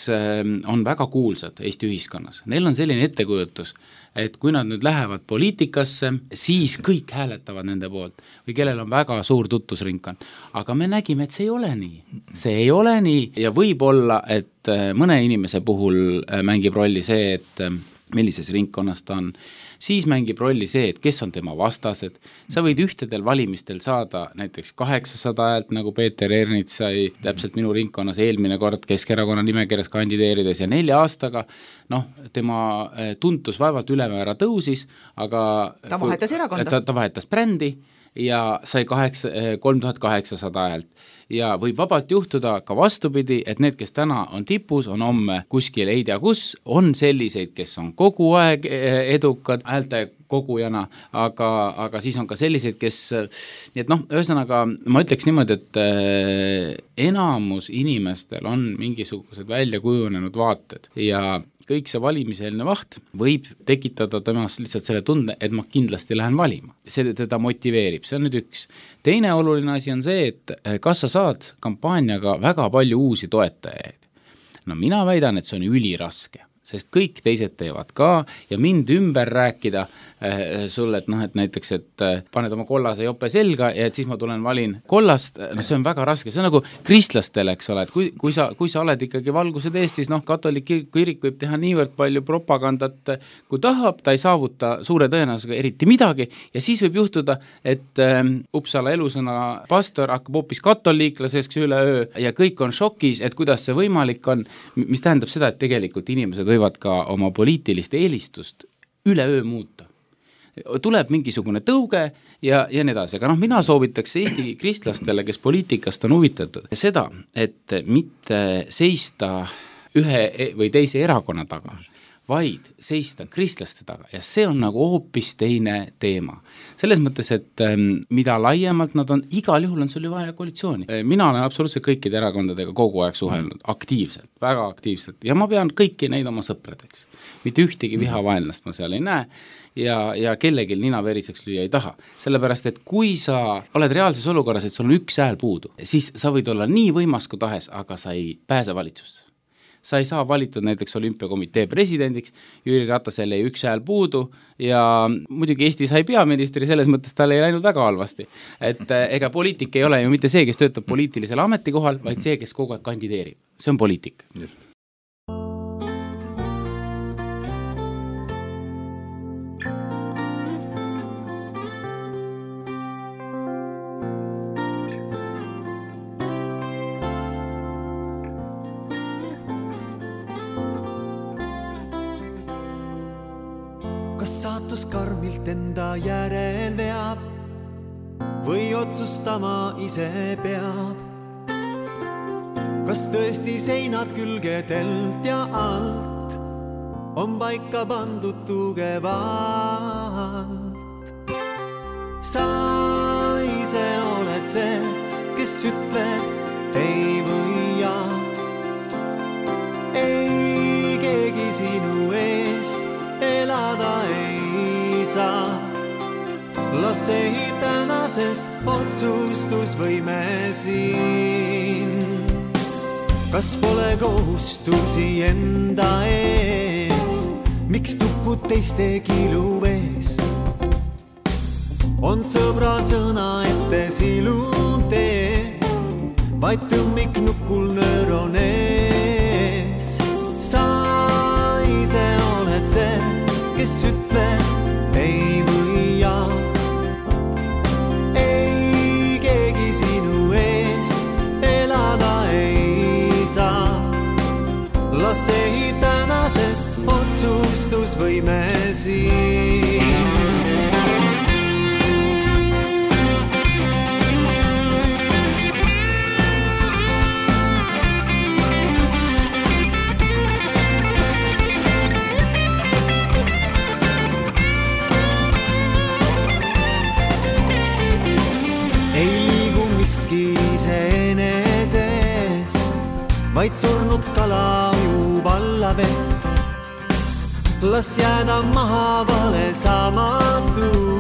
on väga kuulsad Eesti ühiskonnas, neil on selline ettekujutus, et kui nad nüüd lähevad poliitikasse, siis kõik hääletavad nende poolt või kellel on väga suur tutvusringkond. Aga me nägime, et see ei ole nii. See ei ole nii ja võib olla, et mõne inimese puhul mängib rolli see, et millises ringkonnas ta on, siis mängib rolli see, et kes on tema vastased. Sa võid ühtedel valimistel saada näiteks kaheksasada häält, nagu Peeter Ernits sai täpselt minu ringkonnas eelmine kord Keskerakonna nimekirjas kandideerides ja nelja aastaga, noh, tema tuntus vaevalt ülemäära tõusis, aga ta vahetas erakonda. Ta, ta vahetas brändi ja sai kolm tuhat kaheksasada häält. Ja võib vabalt juhtuda ka vastupidi, et need, kes täna on tipus, on homme kuskil ei tea kus, on selliseid, kes on kogu aeg edukad häälte kogujana, aga, aga siis on ka selliseid, kes, nii et noh, ühesõnaga ma ütleks niimoodi, et enamus inimestel on mingisugused välja kujunenud vaated ja kõik see valimiseelne vaht võib tekitada temast lihtsalt selle tunde, et ma kindlasti lähen valima. See teda motiveerib, see on nüüd üks. Teine oluline asi on see, et kas sa saad kampaaniaga väga palju uusi toetajaid. No mina väidan, et see on üliraske, sest kõik teised teevad ka ja mind ümber rääkida äh, sulle, et noh, et näiteks, et äh, paned oma kollase jope selga ja et siis ma tulen valin kollast, no see on väga raske, see on nagu kristlastele, eks ole, et kui, kui, sa, kui sa oled ikkagi valgused Eestis, noh, katolik kirik võib teha niivõrd palju propagandat, kui tahab, ta ei saavuta suure tõenäosusega eriti midagi ja siis võib juhtuda, et äh, Uppsala elusõna pastor hakkab hoopis katoliiklaseks üleöö ja kõik on šokis, et kuidas see võimalik on, mis tähendab seda, et tegelikult inimesed võivad ka oma poliitilist eelistust üleöö muuta. tuleb mingisugune tõuge ja, ja nii edasi, aga noh, mina soovitaks Eesti kristlastele, kes poliitikast on huvitatud, seda, et mitte seista ühe või teise erakonna taga, vaid seista kristlaste taga ja see on nagu hoopis teine teema. Selles mõttes, et mida laiemalt nad on, igal juhul on sul ju vaja koalitsiooni. Mina olen absoluutselt kõikide erakondadega kogu aeg suhelnud, aktiivselt, väga aktiivselt ja ma pean kõiki neid oma sõpradeks. Mitte ühtegi vihavaenlast ma seal ei näe ja, ja kellelgi nina veriseks lüüa ei taha. Sellepärast, et kui sa oled reaalses olukorras, et sul on üks hääl puudu, siis sa võid olla nii võimas kui tahes, aga sa ei pääse valitsusse. Sa ei saa valitud näiteks olümpiakomitee presidendiks, Jüri Ratasel ei üks hääl puudu ja muidugi Eesti sai peaministri, selles mõttes tal ei läinud väga halvasti. Et ega poliitik ei ole ju mitte see, kes töötab poliitilisel ametikohal, vaid see, kes kogu aeg kandideerib. See on poliitik. Just. Kas saatus karmilt enda järel veab või otsustama ise peab? Kas tõesti seinad külgedelt ja alt on paika pandud tugevalt? Sa ise oled see, kes ütleb ei või jaa. Ei keegi sinu eest elada ei saa. Las ei tänasest otsustusvõime siin. Kas pole kohustusi enda ees? Miks tukud teiste kilu ees? On sõbra sõna ette silutee, vaid tõmmik nukul nöör on ees. Sa ise oled see, kes ütleb ei või jaa. Ei keegi sinu eest elada ei saa. Las ei tänasest otsustusvõime siin. Vaid surnud kala ujub alla vett. Las jääda maha vale samatus,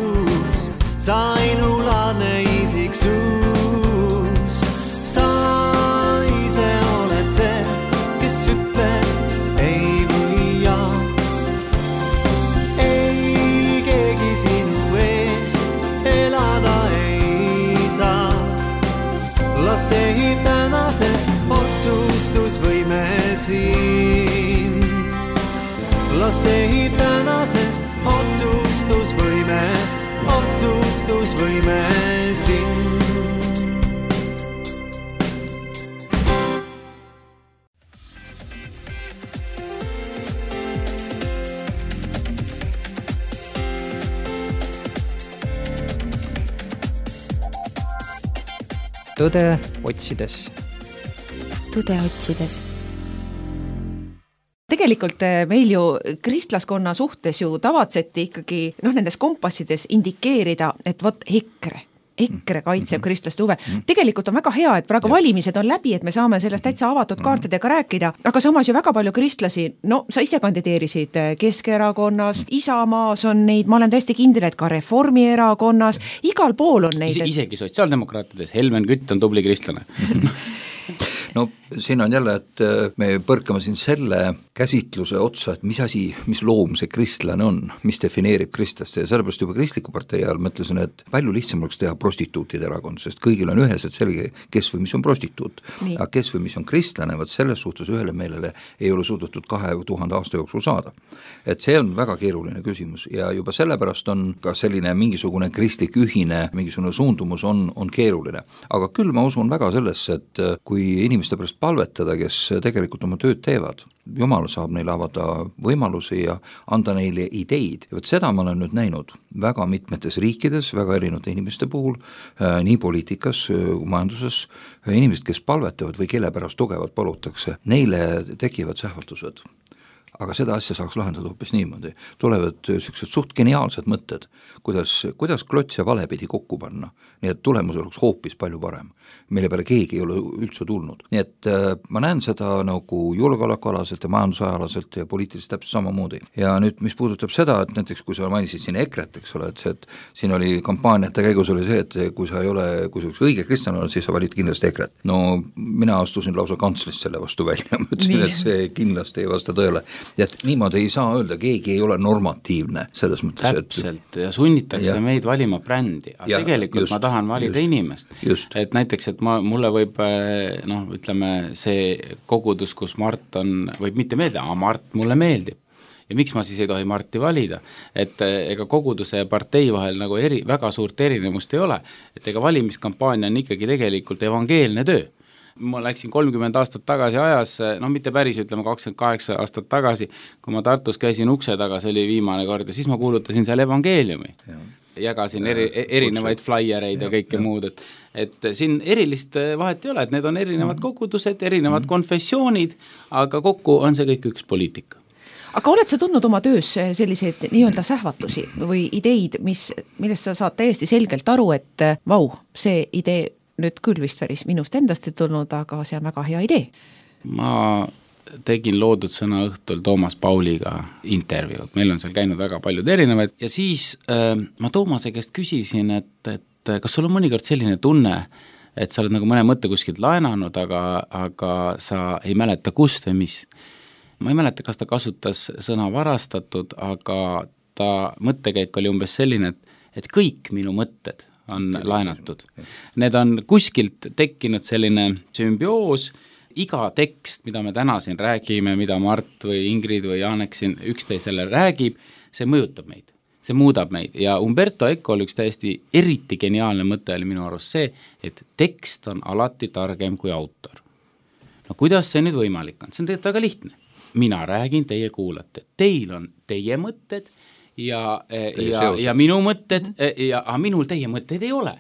sa ainulaadne isiksus. Sa ise oled see, kes ütleb ei või jaa. Ei keegi sinu eest elada ei saa. Las ei tänasest otsustusvõime siin. Las ei tänasest otsustusvõime, otsustusvõime siin. Tõde otsides. Tõde otsides. Tegelikult meil ju kristlaskonna suhtes ju tavatseti ikkagi noh, nendes kompassides indikeerida, et vot EKRE. EKRE kaitseb kristlaste huve. Tegelikult on väga hea, et praegu valimised on läbi, et me saame sellest täitsa avatud kaartidega rääkida, aga samas ju väga palju kristlasi, no sa ise kandideerisid Keskerakonnas, Isamaas on neid, ma olen täiesti kindel, et ka Reformierakonnas, igal pool on neid. Is- isegi sotsiaaldemokraatides, Helmen Kütt on tubli kristlane. No siin on jälle, et me põrkame siin selle käsitluse otsa, et mis asi, mis loom see kristlane on, mis defineerib kristlast ja sellepärast juba kristliku partei ajal mõtlesin, et palju lihtsam oleks teha prostituutide erakond, sest kõigil on üheselt selge, kes või mis on prostituut. Nii. Aga kes või mis on kristlane, võt selles suhtes ühele meelele ei ole suudetud kahe tuhande aasta jooksul saada. Et see on väga keeruline küsimus ja juba sellepärast on ka selline mingisugune kristlik ühine, mingisugune suundumus on, on keeruline. Aga küll ma usun väga sellesse, et kui inimeste pärast palvetada, kes tegelikult oma tööd teevad Jumal saab neile avada võimalusi ja anda neile ideid. Ja võt seda ma olen nüüd näinud väga mitmetes riikides, väga erinevate inimeste puhul, nii poliitikas, majanduses, inimesed, kes palvetavad või kelle pärast tugevalt palutakse, neile tekivad sähvatused. Aga seda asja saaks lahendada hoopis niimoodi. Tulevad sellised suht geniaalsed mõtted, kuidas, kuidas klots ja vale pidi kokku panna, nii et tulemus oleks hoopis palju parem. Meile peale keegi ei ole üldse tulnud. Nii et äh, ma näen seda nagu julgeolekualaselt ja majandusajalaselt ja poliitiliselt täpselt samamoodi. Ja nüüd, mis puudutab seda, et näiteks kui sa mainisid siin EKRE-t, eks ole, et, see, et siin oli kampaaniate käigus oli see, et kui sa ei ole, kui sa üks õige kristlane oled, siis sa valid kindlasti EKRE-t. No mina astusin lausa kantslist selle vastu välja, ma ütlesin, et see kindlasti ei vasta tõele. Ja et niimoodi ei saa öelda, keegi ei ole normatiivne selles mõttes. Täpselt, et... ja sunnitakse ja. meid valima brändi, aga ja, tegelikult just, ma tahan valida just, inimest. Just. Et näiteks, et ma, mulle võib, noh, ütleme, see kogudus, kus Mart on, võib mitte meeldida, aga Mart mulle meeldib. Ja miks ma siis ei tohi Marti valida? Et ega koguduse ja partei vahel nagu eri, väga suurt erinevust ei ole. Et ega valimiskampaania on ikkagi tegelikult evangeelne töö. Ma läksin kolmkümmend aastat tagasi ajas, noh mitte päris, ütleme kakskümmend kaheksa aastat tagasi, kui ma Tartus käisin ukse taga, see oli viimane kord ja siis ma kuulutasin seal evangeeliumi. Ja. Jagasin eri, erinevaid flaiereid ja, ja kõike ja. muud, et, et siin erilist vahet ei ole, et need on erinevad kogudused, erinevad mm. konfessioonid, aga kokku on see kõik üks poliitika. Aga oled sa tundnud oma töös selliseid nii-öelda sähvatusi või ideid, mis, millest sa saad täiesti selgelt aru, et vau, see idee nüüd küll vist päris minust endast ei tulnud, aga see on väga hea idee. Ma tegin loodud sõna õhtul Toomas Pauliga intervjuud, meil on seal käinud väga paljud erinevad ja siis äh, ma Toomase käest küsisin, et, et kas sul on mõnikord selline tunne, et sa oled nagu mõne mõtte kuskilt laenanud, aga, aga sa ei mäleta kust või mis. Ma ei mäleta, kas ta kasutas sõna varastatud, aga ta mõttekäik oli umbes selline, et, et kõik minu mõtted on laenatud. Need on kuskilt tekkinud selline sümbioos, iga tekst, mida me täna siin räägime, mida Mart või Ingrid või Janek siin üksteisele räägib, see mõjutab meid, see muudab meid ja Umberto Ecol üks täiesti eriti geniaalne mõte oli minu arust see, et tekst on alati targem kui autor. No kuidas see nüüd võimalik on? See on tegelikult väga lihtne. Mina räägin, teie kuulate. Teil on teie mõtted ja, ja, ja minu mõtted ja aga minul teie mõtteid ei ole.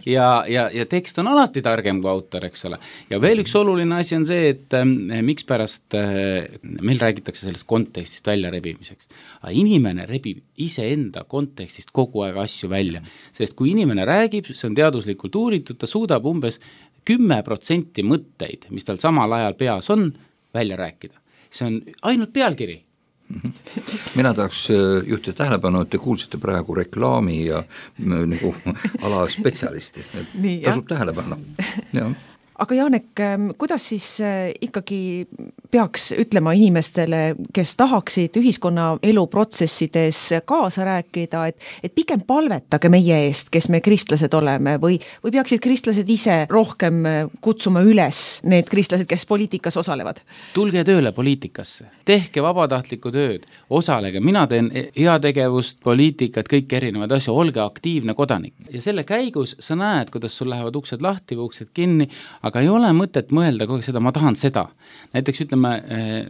Ja, ja, ja tekst on alati targem kui autor, eks ole. Ja veel üks oluline asi on see, et äh, miks pärast äh, meil räägitakse sellest kontekstist välja rebimiseks. Aga inimene rebib iseenda kontekstist kogu aeg asju välja. Sest kui inimene räägib, see on teaduslikult uuritud, ta suudab umbes kümme protsenti mõtteid, mis tal samal ajal peas on, välja rääkida. See on ainult pealkiri. Mina tahaks juhtida tähelepanu, et te kuulsite praegu reklaami ja nagu ala spetsialisti. Nii, tasub tähelepanu. Ja. Aga Janek, kuidas siis ikkagi peaks ütlema inimestele, kes tahaksid ühiskonna eluprotsessides kaasa rääkida, et, et pigem palvetage meie eest, kes me kristlased oleme või, või peaksid kristlased ise rohkem kutsuma üles need kristlased, kes poliitikas osalevad? Tulge tööle poliitikasse, tehke vabatahtlikku tööd, osalege, mina teen heategevust, poliitikat, kõik erinevad asju, olge aktiivne kodanik. Ja selle käigus sa näed, kuidas sul lähevad uksed lahti või uksed kinni, aga ei ole mõtet mõelda kogu seda, ma tahan seda. Näiteks ütleme,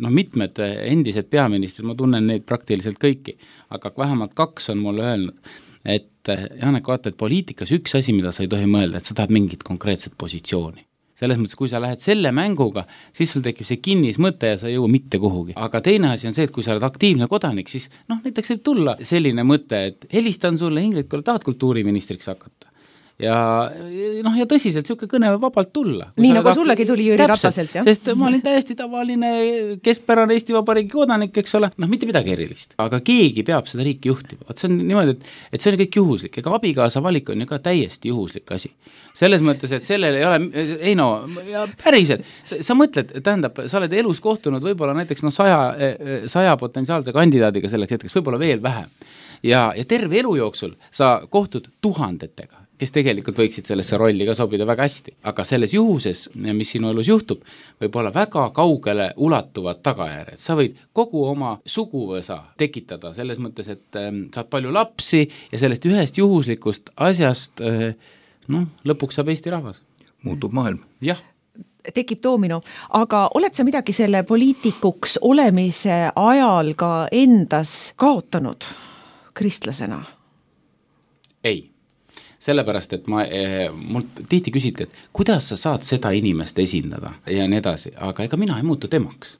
no mitmed endised peaministrid, ma tunnen neid praktiliselt kõiki, aga vähemalt kaks on mulle öelnud, et Janek, vaata, et poliitikas üks asi, mida sa ei tohi mõelda, et sa tahad mingit konkreetset positsiooni. Selles mõttes, kui sa lähed selle mänguga, siis sul tekib see kinnis mõte ja sa ei jõua mitte kuhugi. Aga teine asi on see, et kui sa oled aktiivne kodanik, siis noh, näiteks võib tulla selline mõte, et helistan sulle, Ingrid, kui tahad kultuuriministriks hakata. Ja, noh, ja tõsiselt niisugune kõne võib vabalt tulla. Nii nagu sullegi tuli Jüri Rataselt, jah? Sest ma olin täiesti tavaline keskpärane Eesti Vabariigi kodanik, eks ole, noh, mitte midagi erilist. Aga keegi peab seda riiki juhtima. See on niimoodi, et, et see on kõik juhuslik. Ega abikaasa valik on ju ka täiesti juhuslik asi. Selles mõttes, et sellel ei ole, ei no, ja päriselt, sa, sa mõtled, tähendab, sa oled elus kohtunud võib-olla näiteks no, saja, saja potentsiaalse kandidaadiga selleks hetkeks, võib-olla veel vähem. Ja, ja terve elu jooksul sa kohtud tuhandetega, kes tegelikult võiksid sellesse rolli ka sobida väga hästi. Aga selles juhuses, mis sinu elus juhtub, võib olla väga kaugele ulatuvad tagajärjed. Sa võid kogu oma suguvõsa tekitada selles mõttes, et äh, saad palju lapsi ja sellest ühest juhuslikust asjast äh, noh, lõpuks saab Eesti rahvas. Muutub maailm. Jah. tekib doomino, aga oled sa midagi selle poliitikuks olemise ajal ka endas kaotanud kristlasena? Ei, sellepärast, et ma, mult tihti küsiti, et kuidas sa saad seda inimest esindada ja nii edasi, aga ega mina ei muutu temaks.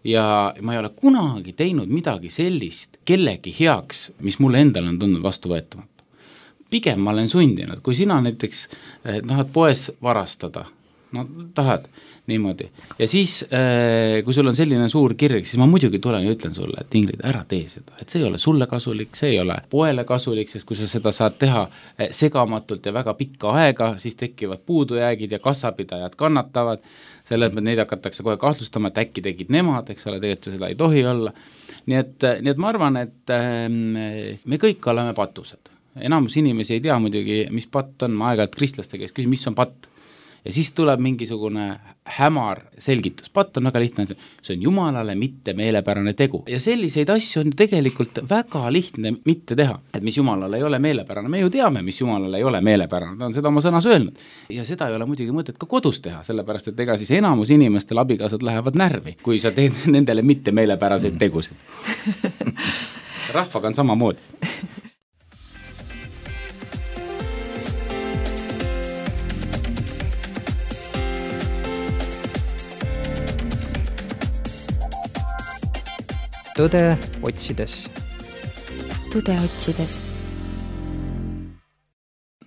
Ja ma ei ole kunagi teinud midagi sellist kellegi heaks, mis mulle endale on tundnud vastuvõetamatu. Pigem ma olen sundinud, kui sina näiteks tahad poes varastada, no tahad niimoodi. Ja siis, kui sul on selline suur kirg, siis ma muidugi tulen ja ütlen sulle, et Ingrid, ära tee seda. Et see ei ole sulle kasulik, see ei ole poele kasulik, sest kui sa seda saad teha segamatult ja väga pikka aega, siis tekivad puudujäägid ja kassapidajad kannatavad. Selle, et neid hakatakse kohe kahtlustama, et äkki tegid nemad, eks ole, tegelikult seda ei tohi olla. Nii et, nii et ma arvan, et me kõik oleme patused. Enamus inimesi ei tea muidugi, mis patt on, ma aeg-ajalt kristlaste käes küsin, mis on patt. Ja siis tuleb mingisugune hämar selgitus. Patt on väga lihtne, see on Jumalale mitte meelepärane tegu. Ja selliseid asju on tegelikult väga lihtne mitte teha, et mis Jumalale ei ole meelepärane. Me ju teame, mis Jumalale ei ole meelepärane, ta on seda oma sõnas öelnud. Ja seda ei ole muidugi mõtet ka kodus teha, sellepärast, et ega siis enamus inimestel abikaasad lähevad närvi, kui sa teed nendele mitte meelepäraseid tegusid. Rahvaga on samamoodi. Tõde otsides. Tõde otsides.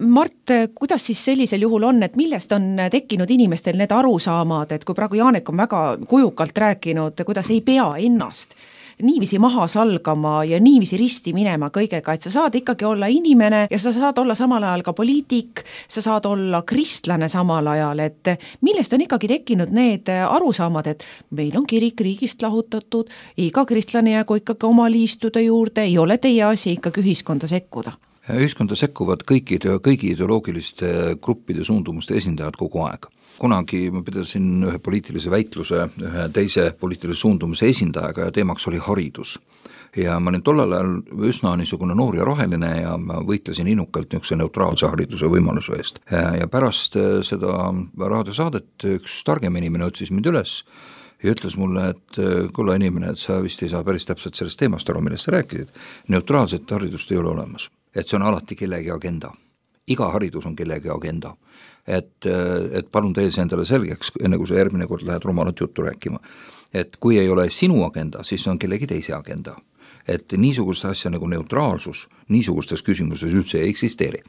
Mart, kuidas siis sellisel juhul on, et millest on tekkinud inimestel need arusaamad, et kui praegu Jaanek on väga kujukalt rääkinud, kuidas ei pea ennast niivisi maha salgama ja niivisi risti minema kõigega, et sa saad ikkagi olla inimene ja sa saad olla samal ajal ka poliitik, sa saad olla kristlane samal ajal, et millest on ikkagi tekkinud need arusaamad, et meil on kirik riigist lahutatud, iga kristlane jäägu ikkagi oma liistude juurde, ei ole teie asi ikkagi ühiskonda sekkuda? Ühiskonda sekkuvad kõikide, kõigi ideoloogiliste gruppide suundumuste esindajad kogu aeg. Kunagi ma pidasin ühe poliitilise väitluse ühe teise poliitilise suundumuse esindajaga ja teemaks oli haridus. Ja ma olin tollal ajal üsna niisugune noor ja roheline ja ma võitlesin innukalt niisuguse neutraalse hariduse võimaluse eest. Ja pärast seda raadiosaadet üks targem inimene otsis mind üles ja ütles mulle, et kulla inimene, et sa vist ei saa päris täpselt sellest teemast aru, millest sa rääkisid. Neutraalset haridust ei ole olemas. Et see on alati kellegi agenda. Iga haridus on kellegi agenda. Et, et palun tee see endale selgeks, enne kui sa järgmine kord lähed rumalat juttu rääkima. Et kui ei ole sinu agenda, siis on kellegi teise agenda. Et niisugust asja nagu neutraalsus niisugustes küsimustes üldse ei eksisteeri.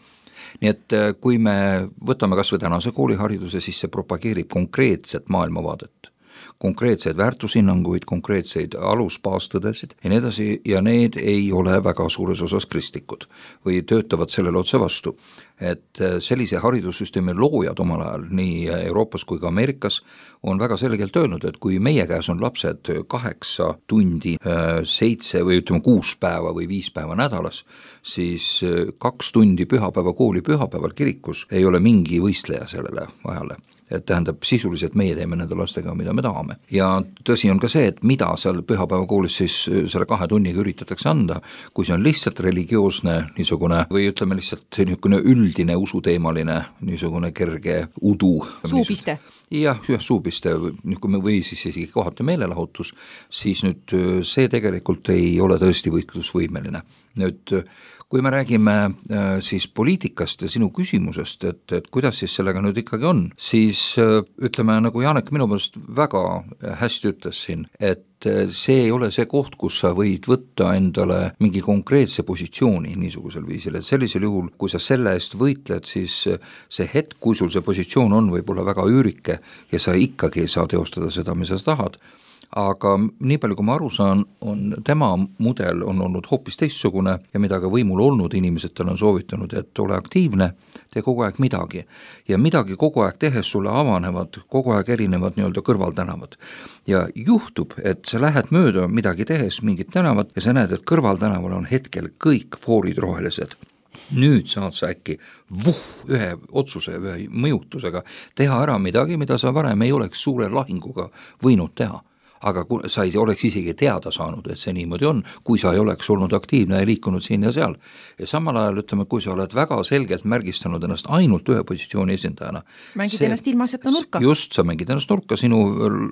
Nii et kui me võtame kas või tänase koolihariduse, siis see propageerib konkreetset maailmavaadet. Konkreetseid väärtushinnanguid, konkreetseid alusbaastõdesid ja nii edasi, ja need ei ole väga suures osas kristlikud või töötavad sellele otse vastu. Et sellise haridussüsteemi loojad omal ajal nii Euroopas kui ka Ameerikas on väga selgelt öelnud, et kui meie käes on lapsed kaheksa tundi, seitse või ütleme kuus päeva või viis päeva nädalas, siis kaks tundi pühapäeva kooli pühapäeval kirikus ei ole mingi võistleja sellele ajale. Et tähendab, sisuliselt meie teeme nende lastega, mida me tahame. Ja tõsi on ka see, et mida seal pühapäeva koolis siis selle kahe tunniga üritatakse anda, kui see on lihtsalt religioosne niisugune, või ütleme lihtsalt niisugune üldine usuteemaline niisugune kerge udu. Suupiste. Jah, jah, suupiste, või siis isegi kohati meelelahutus, siis nüüd see tegelikult ei ole tõesti võitlusvõimeline. Nüüd kui me räägime siis poliitikast ja sinu küsimusest, et, et kuidas siis sellega nüüd ikkagi on, siis ütleme, nagu Jaanek minu meelest väga hästi ütles siin, et see ei ole see koht, kus sa võid võtta endale mingi konkreetse positsiooni niisugusel viisil, et sellisel juhul, kui sa selle eest võitled, siis see hetk, kui sul see positsioon on, võib olla väga üürike ja sa ikkagi ei saa teostada seda, mis sa tahad. Aga nii palju, kui ma aru saan, on tema mudel on olnud hoopis teistsugune ja mida ka võimul olnud inimesed tal on soovitanud, et ole aktiivne, tee kogu aeg midagi. Ja midagi kogu aeg tehes sulle avanevad, kogu aeg erinevad nii-öelda kõrvaltänavad. Ja juhtub, et sa lähed mööda midagi tehes mingit tänavat ja sa näed, et kõrvaltänaval on hetkel kõik foorid rohelised. Nüüd saad sa äkki vuh, ühe otsuse, ühe mõjutusega teha ära midagi, mida sa varem ei oleks suure lahinguga võinud teha. aga kui sa ei oleks isegi teada saanud, et see niimoodi on, kui sa ei oleks olnud aktiivne ja liikunud siin ja seal. Ja samal ajal ütleme, kui sa oled väga selgelt märgistanud ennast ainult ühe positsiooni esindajana. Mängid see, ennast ilmaasjata nurka. Just, sa mängid ennast nurka, sinu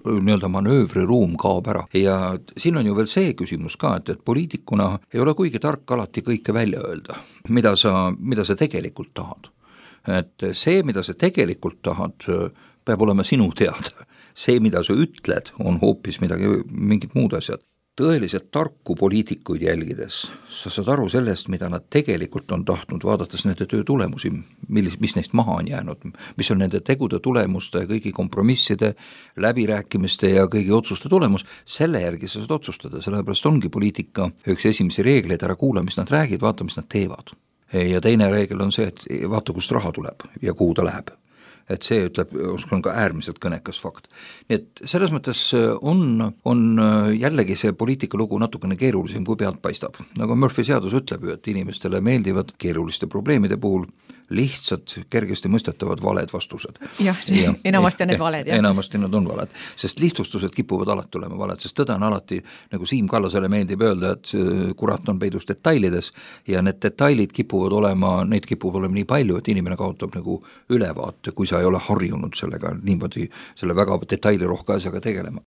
nii-öelda manöövriruum kaob ära. Ja siin on ju veel see küsimus ka, et, et poliitikuna ei ole kuigi tark alati kõike välja öelda, mida sa, mida sa tegelikult tahad. Et see, mida sa tegelikult tahad, peab olema sinu teada. See, mida sa ütled, on hoopis midagi, mingid muud asjad. Tõeliselt tarku poliitikuid jälgides, sa saad aru sellest, mida nad tegelikult on tahtnud, vaadates nende töö tulemusi, millis, mis neist maha on jäänud, mis on nende tegude tulemuste, kõigi kompromisside, läbirääkimiste ja kõigi otsuste tulemus, selle järgi sa saad otsustada, sellepärast ongi poliitika üks esimesi reegleid, ära kuula, mis nad räägid, vaata, mis nad teevad. Ja teine reegel on see, et vaata, kust raha tuleb ja kuhu ta läheb. Et see ütleb, on ka äärmiselt kõnekas fakt. Nii et selles mõttes on, on jällegi see poliitikalugu natukene keerulisem, kui pealt paistab. Nagu Murphy seadus ütleb ju, et inimestele meeldivad keeruliste probleemide puhul lihtsalt kergesti mõistetavad valed vastused. Jah, ja, enamasti on need valed. Ja. Enamasti need on valed, sest lihtsustused kipuvad alati olema valed, sest tõde on alati, nagu Siim Kallasele meeldib öelda, et kurat on peidus detailides ja need detailid kipuvad olema, neid kipuvad olema nii palju, et inimene kaotab nagu ülevaate, kui sa ei ole harjunud sellega niimoodi, selle väga detailirohke asjaga tegelema.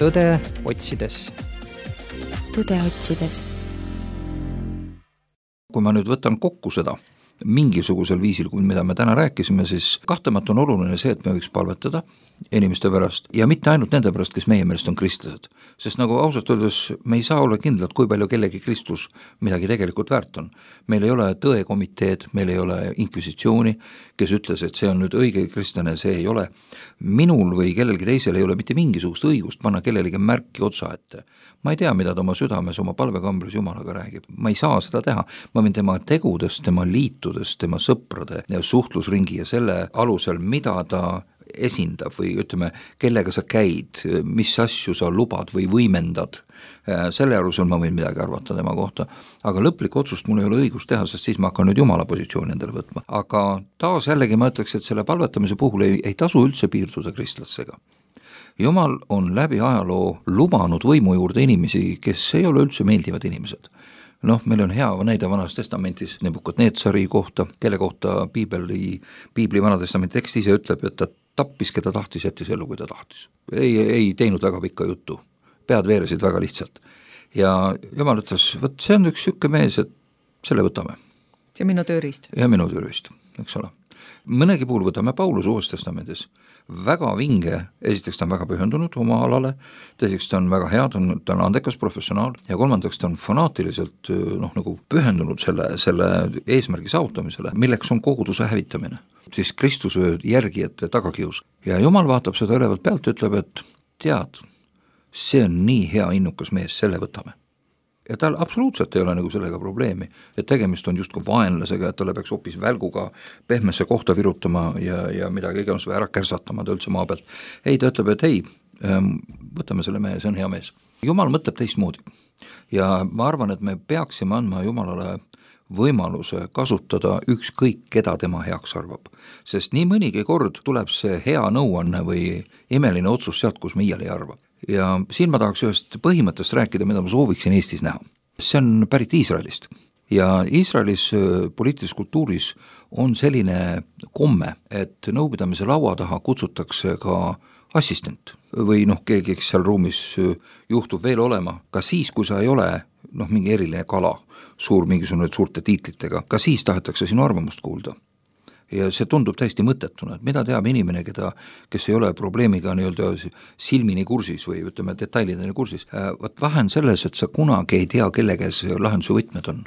Tõde otsides. Tõde otsides. Kui ma nüüd võtan kokku seda mingisugusel viisil, mida me täna rääkisime, siis kahtemata on oluline see, et me võiks palvetada inimeste pärast ja mitte ainult nende pärast, kes meie meelest on kristlased. Sest nagu ausalt öeldes me ei saa olla kindlad, kui palju kellegi kristlus midagi tegelikult väärt on. Meil ei ole tõekomiteed, meil ei ole inkvisitsiooni, kes ütles, et see on nüüd õige kristlane, see ei ole. Minul või kellelgi teisel ei ole mitte mingisugust õigust panna kellelegi märki otsa ette. Ma ei tea, mida ta oma südames, oma palvekambris Jumalaga räägib. Ma ei saa seda teha. Ma võin tema tegudest, tema liitudest, tema sõprade ja suhtlusringi ja selle alusel, mida ta esindab või ütleme, kellega sa käid, mis asju sa lubad või võimendad, selle alusel ma võin midagi arvata tema kohta, aga lõplik otsust mul ei ole õigus teha, sest siis ma hakkan nüüd Jumala positsiooni endale võtma. Aga taas jällegi ma ütleks, et selle palvetamise puhul ei, ei tasu üldse piirduda kristlasega. Jumal on läbi ajaloo lubanud võimu juurde inimesi, kes ei ole üldse meeldivad inimesed. Noh, meil on hea näide Vanas Testamentis Nebukadnetsari kohta, kelle kohta Piibli, Piibli Vanatestamenti tekst ise ütleb, et ta tappis, keda tahtis, jättis ellu, kui ta tahtis. Ei, ei teinud väga pikka juttu, pead veeresid väga lihtsalt. Ja Jumal ütles, võt see on üks sükke mees, et selle võtame. See on minu tööriist. Ja minu tööriist, eks ole. Mõnegi puhul võtame Paulus Uues Testamendis. Väga vinge, esiteks ta on väga pühendunud oma alale, teiseks ta on väga hea, ta on, ta on andekas professionaal ja kolmandaks ta on fanaatiliselt noh, nagu pühendunud selle, selle eesmärgi saavutamisele, milleks on koguduse hävitamine, siis Kristuse järgijate tagakius. Ja Jumal vaatab seda ülevalt pealt ja ütleb, et tead, see on nii hea innukas mees, selle võtame. Ja tal absoluutselt ei ole nagu sellega probleemi, et tegemist on justkui vaenlasega, et talle peaks hoopis välguga pehmesse kohta virutama ja, ja midagi iganes või ära kärsatama ta üldse maa pealt. Ei, ta ütleb, et ei, võtame selle mehe, see on hea mees. Jumal mõtleb teistmoodi ja ma arvan, et me peaksime andma Jumalale võimaluse kasutada ükskõik, keda tema heaks arvab. Sest nii mõnigi kord tuleb see hea nõuanne või imeline otsus sealt, kus me iial ei arva. Ja siin ma tahaks ühest põhimõttest rääkida, mida ma sooviksin Eestis näha. See on pärit Iisraelist ja Iisraelis poliitilises kultuuris on selline komme, et nõupidamise laua taha kutsutakse ka assistent või noh, keegi, kes seal ruumis juhtub veel olema, ka siis, kui sa ei ole noh, mingi eriline kala, suur mingisugune suurte tiitlitega, ka siis tahetakse sinu arvamust kuulda. Ja see tundub täiesti mõttetuna, et mida teab inimene, keda, kes ei ole probleemiga nii-öelda silmini kursis või ütleme detailideni kursis. Võt vähen selles, et sa kunagi ei tea, kelle käes lahenduse võtmed on.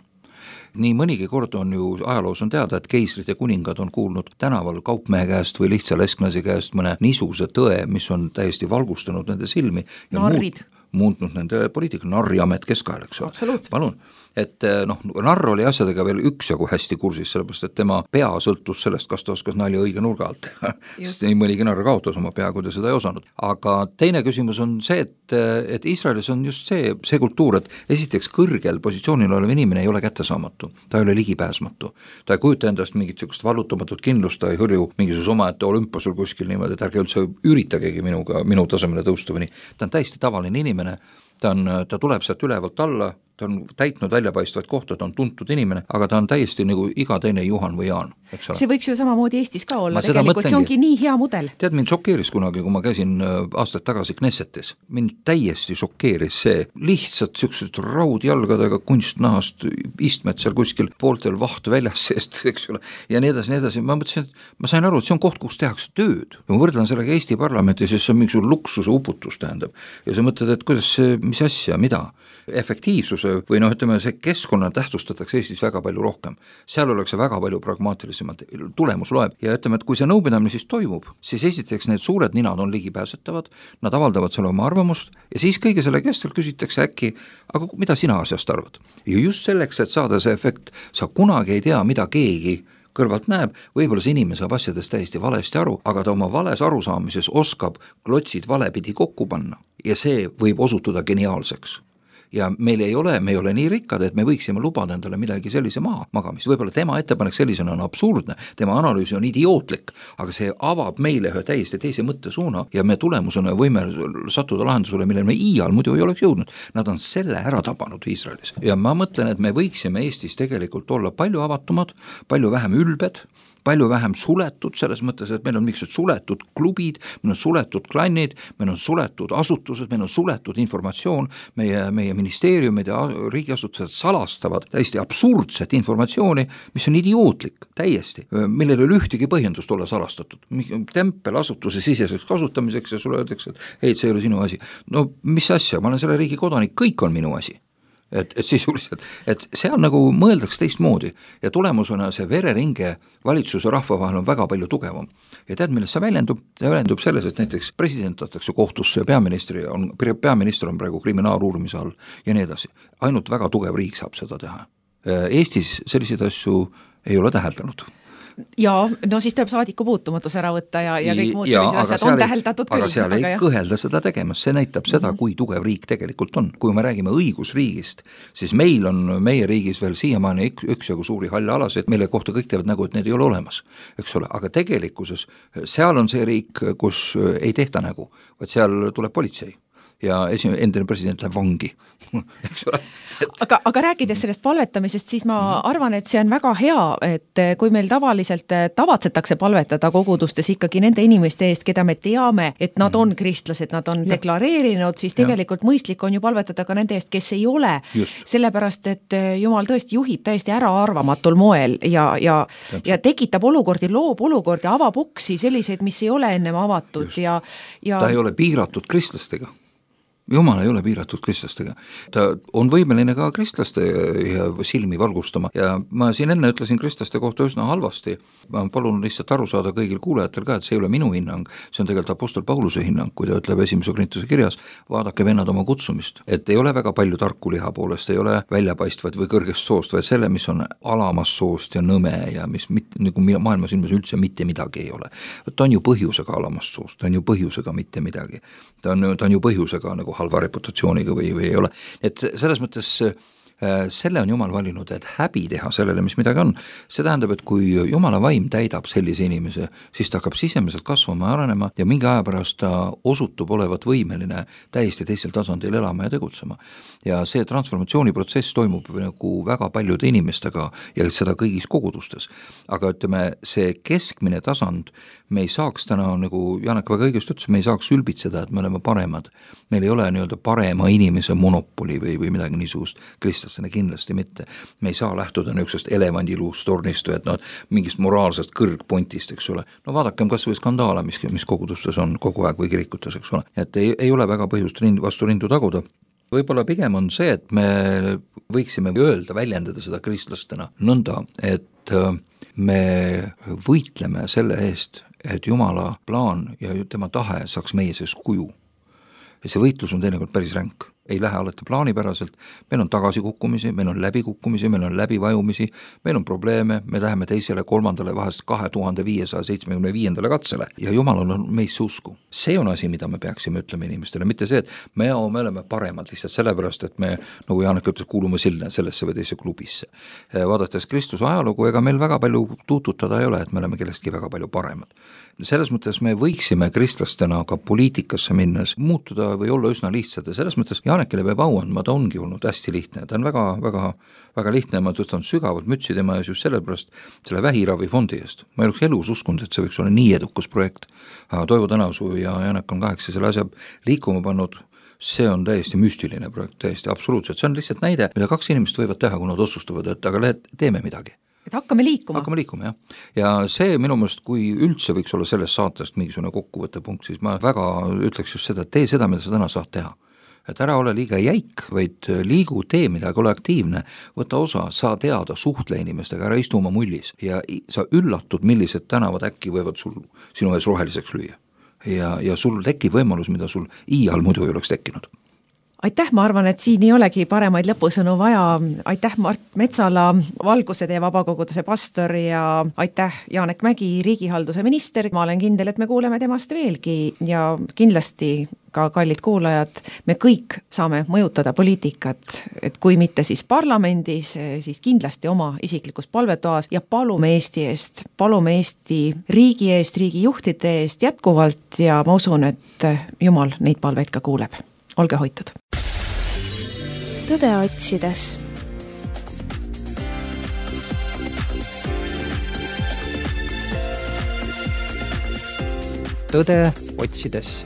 Nii mõnigi kord on ju ajaloos on teada, et keisrid ja kuningad on kuulnud tänaval kaupmehe käest või lihtsa lesknasi käest mõne niisuguse tõe, mis on täiesti valgustanud nende silmi ja narrid. muutnud nende poliitika, narriamet keskajal, eks ole. Palun. et noh, narr oli asjadega veel üksjagu hästi kursis, sellepärast et tema pea sõltus sellest, kas ta oskas nalja õige nurga alt teha, sest nii mõnigi narr kaotas oma pea, kui ta seda ei osanud. Aga teine küsimus on see, et, et Iisraelis on just see, see kultuur, et esiteks kõrgel positsioonil olev inimene ei ole kättesaamatu, ta ei ole ligipääsmatu, ta ei kujuta endast mingit sellist vallutamatut kindlust, ta ei hõrju mingisuguse omaette olümposul kuskil niimoodi, et ärge üldse üritagegi minuga, minu tasemele tõusta või nii, ta on täiesti tavaline inimene, ta on, ta tuleb sealt ülevalt alla, ta on täitnud väljapaistvaid kohta, ta on tuntud inimene, aga ta on täiesti nagu iga teine Juhan või Jaan, eks ole. See võiks ju samamoodi Eestis ka olla, tegelikult see ongi nii hea mudel. Tead, mind šokeeris kunagi, kui ma käisin aastaid tagasi Knessetis, mind täiesti šokeeris see, lihtsalt siuksed raudjalgadega kunstnahast istmed seal kuskil pooltel vaht väljas seest, eks ole, ja nii edasi, nii edasi, ma mõtlesin, et ma sain aru, et see on koht, kus tehakse tööd. Ja ma võrdlen sellega Eesti parlamenti, siis see on mingi luksuse uputus tähendab. Ja sa mõtled, et kuidas see, mis asja, mida? Efektiivsuse või noh, ütleme, see keskkonna tähtsustatakse Eestis väga palju rohkem. Seal oleks väga palju pragmaatilisemalt, tulemus loeb ja ütleme, et kui see nõupidamine siis toimub, siis esiteks need suured ninad on ligipääsetavad, nad avaldavad selle oma arvamust ja siis kõige selle kestel küsitakse äkki, aga mida sina asjast arvad? Ja just selleks, et saada see efekt, sa kunagi ei tea, mida keegi kõrvalt näeb, võib-olla see inimene saab asjadest täiesti valesti aru, aga ta oma vales arusaamises oskab klotsid valepidi kokku panna ja see võib osutuda geniaalseks. Ja meil ei ole, me ei ole nii rikkad, et me võiksime lubada endale midagi sellise maha magamist. Võib-olla tema ettepanek sellisena on absurdne, tema analüüs on idiootlik, aga see avab meile ühe täiesti teise mõttesuuna ja me tulemusena võime sattuda lahendusele, millele me iial muidu ei oleks jõudnud. Nad on selle ära tabanud Iisraelis. Ja ma mõtlen, et me võiksime Eestis tegelikult olla palju avatumad, palju vähem ülbed, palju vähem suletud, selles mõttes, et meil on mingisugused suletud klubid, meil on suletud klannid, meil on suletud asutused, meil on suletud informatsioon, meie, meie ministeeriumid ja riigiasutused salastavad täiesti absurdset informatsiooni, mis on idiootlik, täiesti, millel ei ole ühtegi põhjendust olla salastatud. Tempel asutuse siseseks kasutamiseks ja sulle öeldakse, et hei, see ei ole sinu asi. No mis asja, ma olen selle riigi kodanik, kõik on minu asi. Et, et sisuliselt, et seal nagu mõeldaks teistmoodi ja tulemusena see vereringe valitsuse rahva vahel on väga palju tugevam. Ja tead, millest see väljendub? See väljendub selles, et näiteks president võtakse kohtusse ja peaministri on, peaminister on praegu kriminaaluurimise all ja nii edasi. Ainult väga tugev riik saab seda teha. Eestis selliseid asju ei ole täheldanud. Ja no siis tuleb saadiku puutumatus ära võtta ja, ja kõik muud sellised asjad on täheldatud küll. Aga seal ei aga kõhelda seda tegemas, see näitab seda, mm-hmm. kui tugev riik tegelikult on. Kui me räägime õigusriigist, siis meil on meie riigis veel siiamaani üks, üks jagu suuri halle alasid, mille kohta kõik teevad nägu, et need ei ole olemas, eks ole, aga tegelikkuses seal on see riik, kus ei tehta nägu, vaid seal tuleb politsei ja esimene endine president läheb vangi, eks ole. Et... Aga, aga rääkides sellest palvetamisest, siis ma arvan, et see on väga hea, et kui meil tavaliselt tavatsetakse palvetada kogudustes ikkagi nende inimeste eest, keda me teame, et nad on kristlased, nad on ja. deklareerinud, siis tegelikult ja. mõistlik on ju palvetada ka nende eest, kes ei ole. Just. Sellepärast, et Jumal tõesti juhib täiesti äraarvamatul moel ja, ja, ja tekitab olukordi, loob olukordi, avab uksi selliseid, mis ei ole ennem avatud. Ja, ja... Ta ei ole piiratud kristlastega. Jumal ei ole piiratud kristlastega. Ta on võimeline ka kristlaste silmi valgustama ja ma siin enne ütlesin kristlaste kohta üsna halvasti. Ma palun lihtsalt aru saada kõigil kuulajatel ka, et see ei ole minu hinnang, see on tegelikult apostel Pauluse hinnang, kui ta ütleb esimese Korintuse kirjas, vaadake vennad oma kutsumist, et ei ole väga palju tarku liha poolest, ei ole väljapaistvad või kõrgest soost, vaid selle, mis on alamas soost ja nõme ja mis mit, nagu maailmas ilmas üldse mitte midagi ei ole. Ta on ju põhjusega alamast soost, ta on ju põhjusega mitte midagi. Ta on, ta on ju põhjusega nagu halva reputatsiooniga või, või ei ole. Et selles mõttes selle on Jumal valinud, et häbi teha sellele, mis midagi on. See tähendab, et kui Jumala vaim täidab sellise inimese, siis ta hakkab sisemiselt kasvama ja arenema ja mingi aja pärast ta osutub olevat võimeline täiesti teisel tasandil elama ja tegutsema. Ja see transformatsiooniprotsess toimub nagu väga paljude inimestega ja seda kõigis kogudustes. Aga ütleme, see keskmine tasand, me ei saaks täna, nagu Janek väga õigest ütles, me ei saaks ülbitseda, et me oleme paremad. Meil ei ole nii-öelda parema inimese monopoli või, või midagi niisugust kristlastena kindlasti mitte. Me ei saa lähtuda niisugusest elevandiluust tornist või et no, mingist moraalsest kõrgpointist, eks ole. No vaadakem kas või skandaala, mis, mis kogudustes on kogu aeg või kirikutes, eks ole. Et ei, ei ole väga põhjust rind, vastu rindu taguda. Võib-olla pigem on see, et me võiksime öelda, väljendada seda kristlastena nõnda, et me võitleme selle eest, et Jumala plaan ja tema tahe saaks meie sees kuju. Ja see võitlus on teinekord päris ränk. ei lähe alati plaanipäraselt, meil on tagasikukkumisi, meil on läbikukkumisi, meil on läbivajumisi, meil on probleeme, me läheme teisele, kolmandale, vahest kahe tuhande viiesaja seitsmekümne viiendale katsele ja Jumalal on meisse usku. See on asi, mida me peaksime ütlema inimestele, mitte see, et me, me oleme paremad lihtsalt sellepärast, et me, nagu Janek ütles, kuulume sinna sellesse või teise klubisse. Vaadates Kristuse ajalugu, ega meil väga palju tuututada ei ole, et me oleme kellestki väga palju paremad. Selles mõttes me võiksime kristlastena ka poliitikasse minnes muutuda või olla üsna lihtsad ja selles mõttes Janekile peab au andma, ta ongi olnud hästi lihtne, ta on väga, väga, väga lihtne, ma tõstan sügavalt mütsi tema ees just sellepärast selle vähiravifondi eest. Ma ei oleks elus uskunud, et see võiks olla nii edukas projekt, aga Toivo Tänavsuu ja Janek on kaheksa selle asja liikuma pannud, see on täiesti müstiline projekt, täiesti absoluutselt, see on lihtsalt näide, mida kaks inimest võivad teha, kui nad otsustavad, et aga le- teeme midagi. Et hakkame liikuma. Hakkame liikuma, jah. Ja see minu meelest, kui üldse võiks olla sellest saatest mingisugune kokkuvõttepunkt, siis ma väga ütleks just seda, et tee seda, mida sa täna saad teha. Et ära ole liiga jäik, vaid liigu, tee midagi, ole aktiivne, võta osa, saa teada, suhtle inimestega, ära istu oma mullis ja sa üllatud, millised tänavad äkki võivad sul sinu ees roheliseks lüüa. Ja, ja sul tekib võimalus, mida sul iial muidu ei oleks tekkinud. Aitäh, ma arvan, et siin ei olegi paremaid lõpusõnu vaja. Aitäh Mart Metsala, Valguse tee vabakoguduse pastor ja aitäh Janek Mägi, riigihalduse minister. Ma olen kindel, et me kuuleme temast veelgi ja kindlasti ka kallid kuulajad, me kõik saame mõjutada poliitikat, et kui mitte siis parlamendis, siis kindlasti oma isiklikus palvetoas ja palume Eesti eest, palume Eesti riigi eest, riigijuhtide eest jätkuvalt ja ma usun, et Jumal neid palveid ka kuuleb. Olge hoitud. Tõde otsides. Tõde otsides.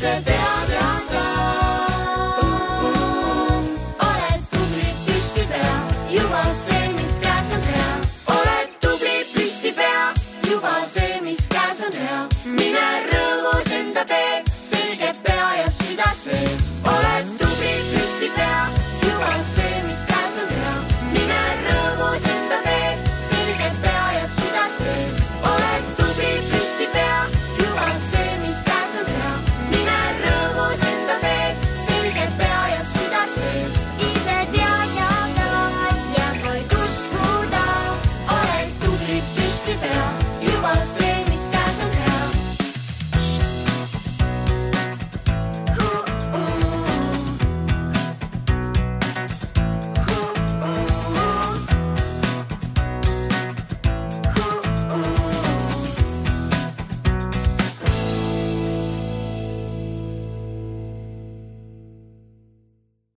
se te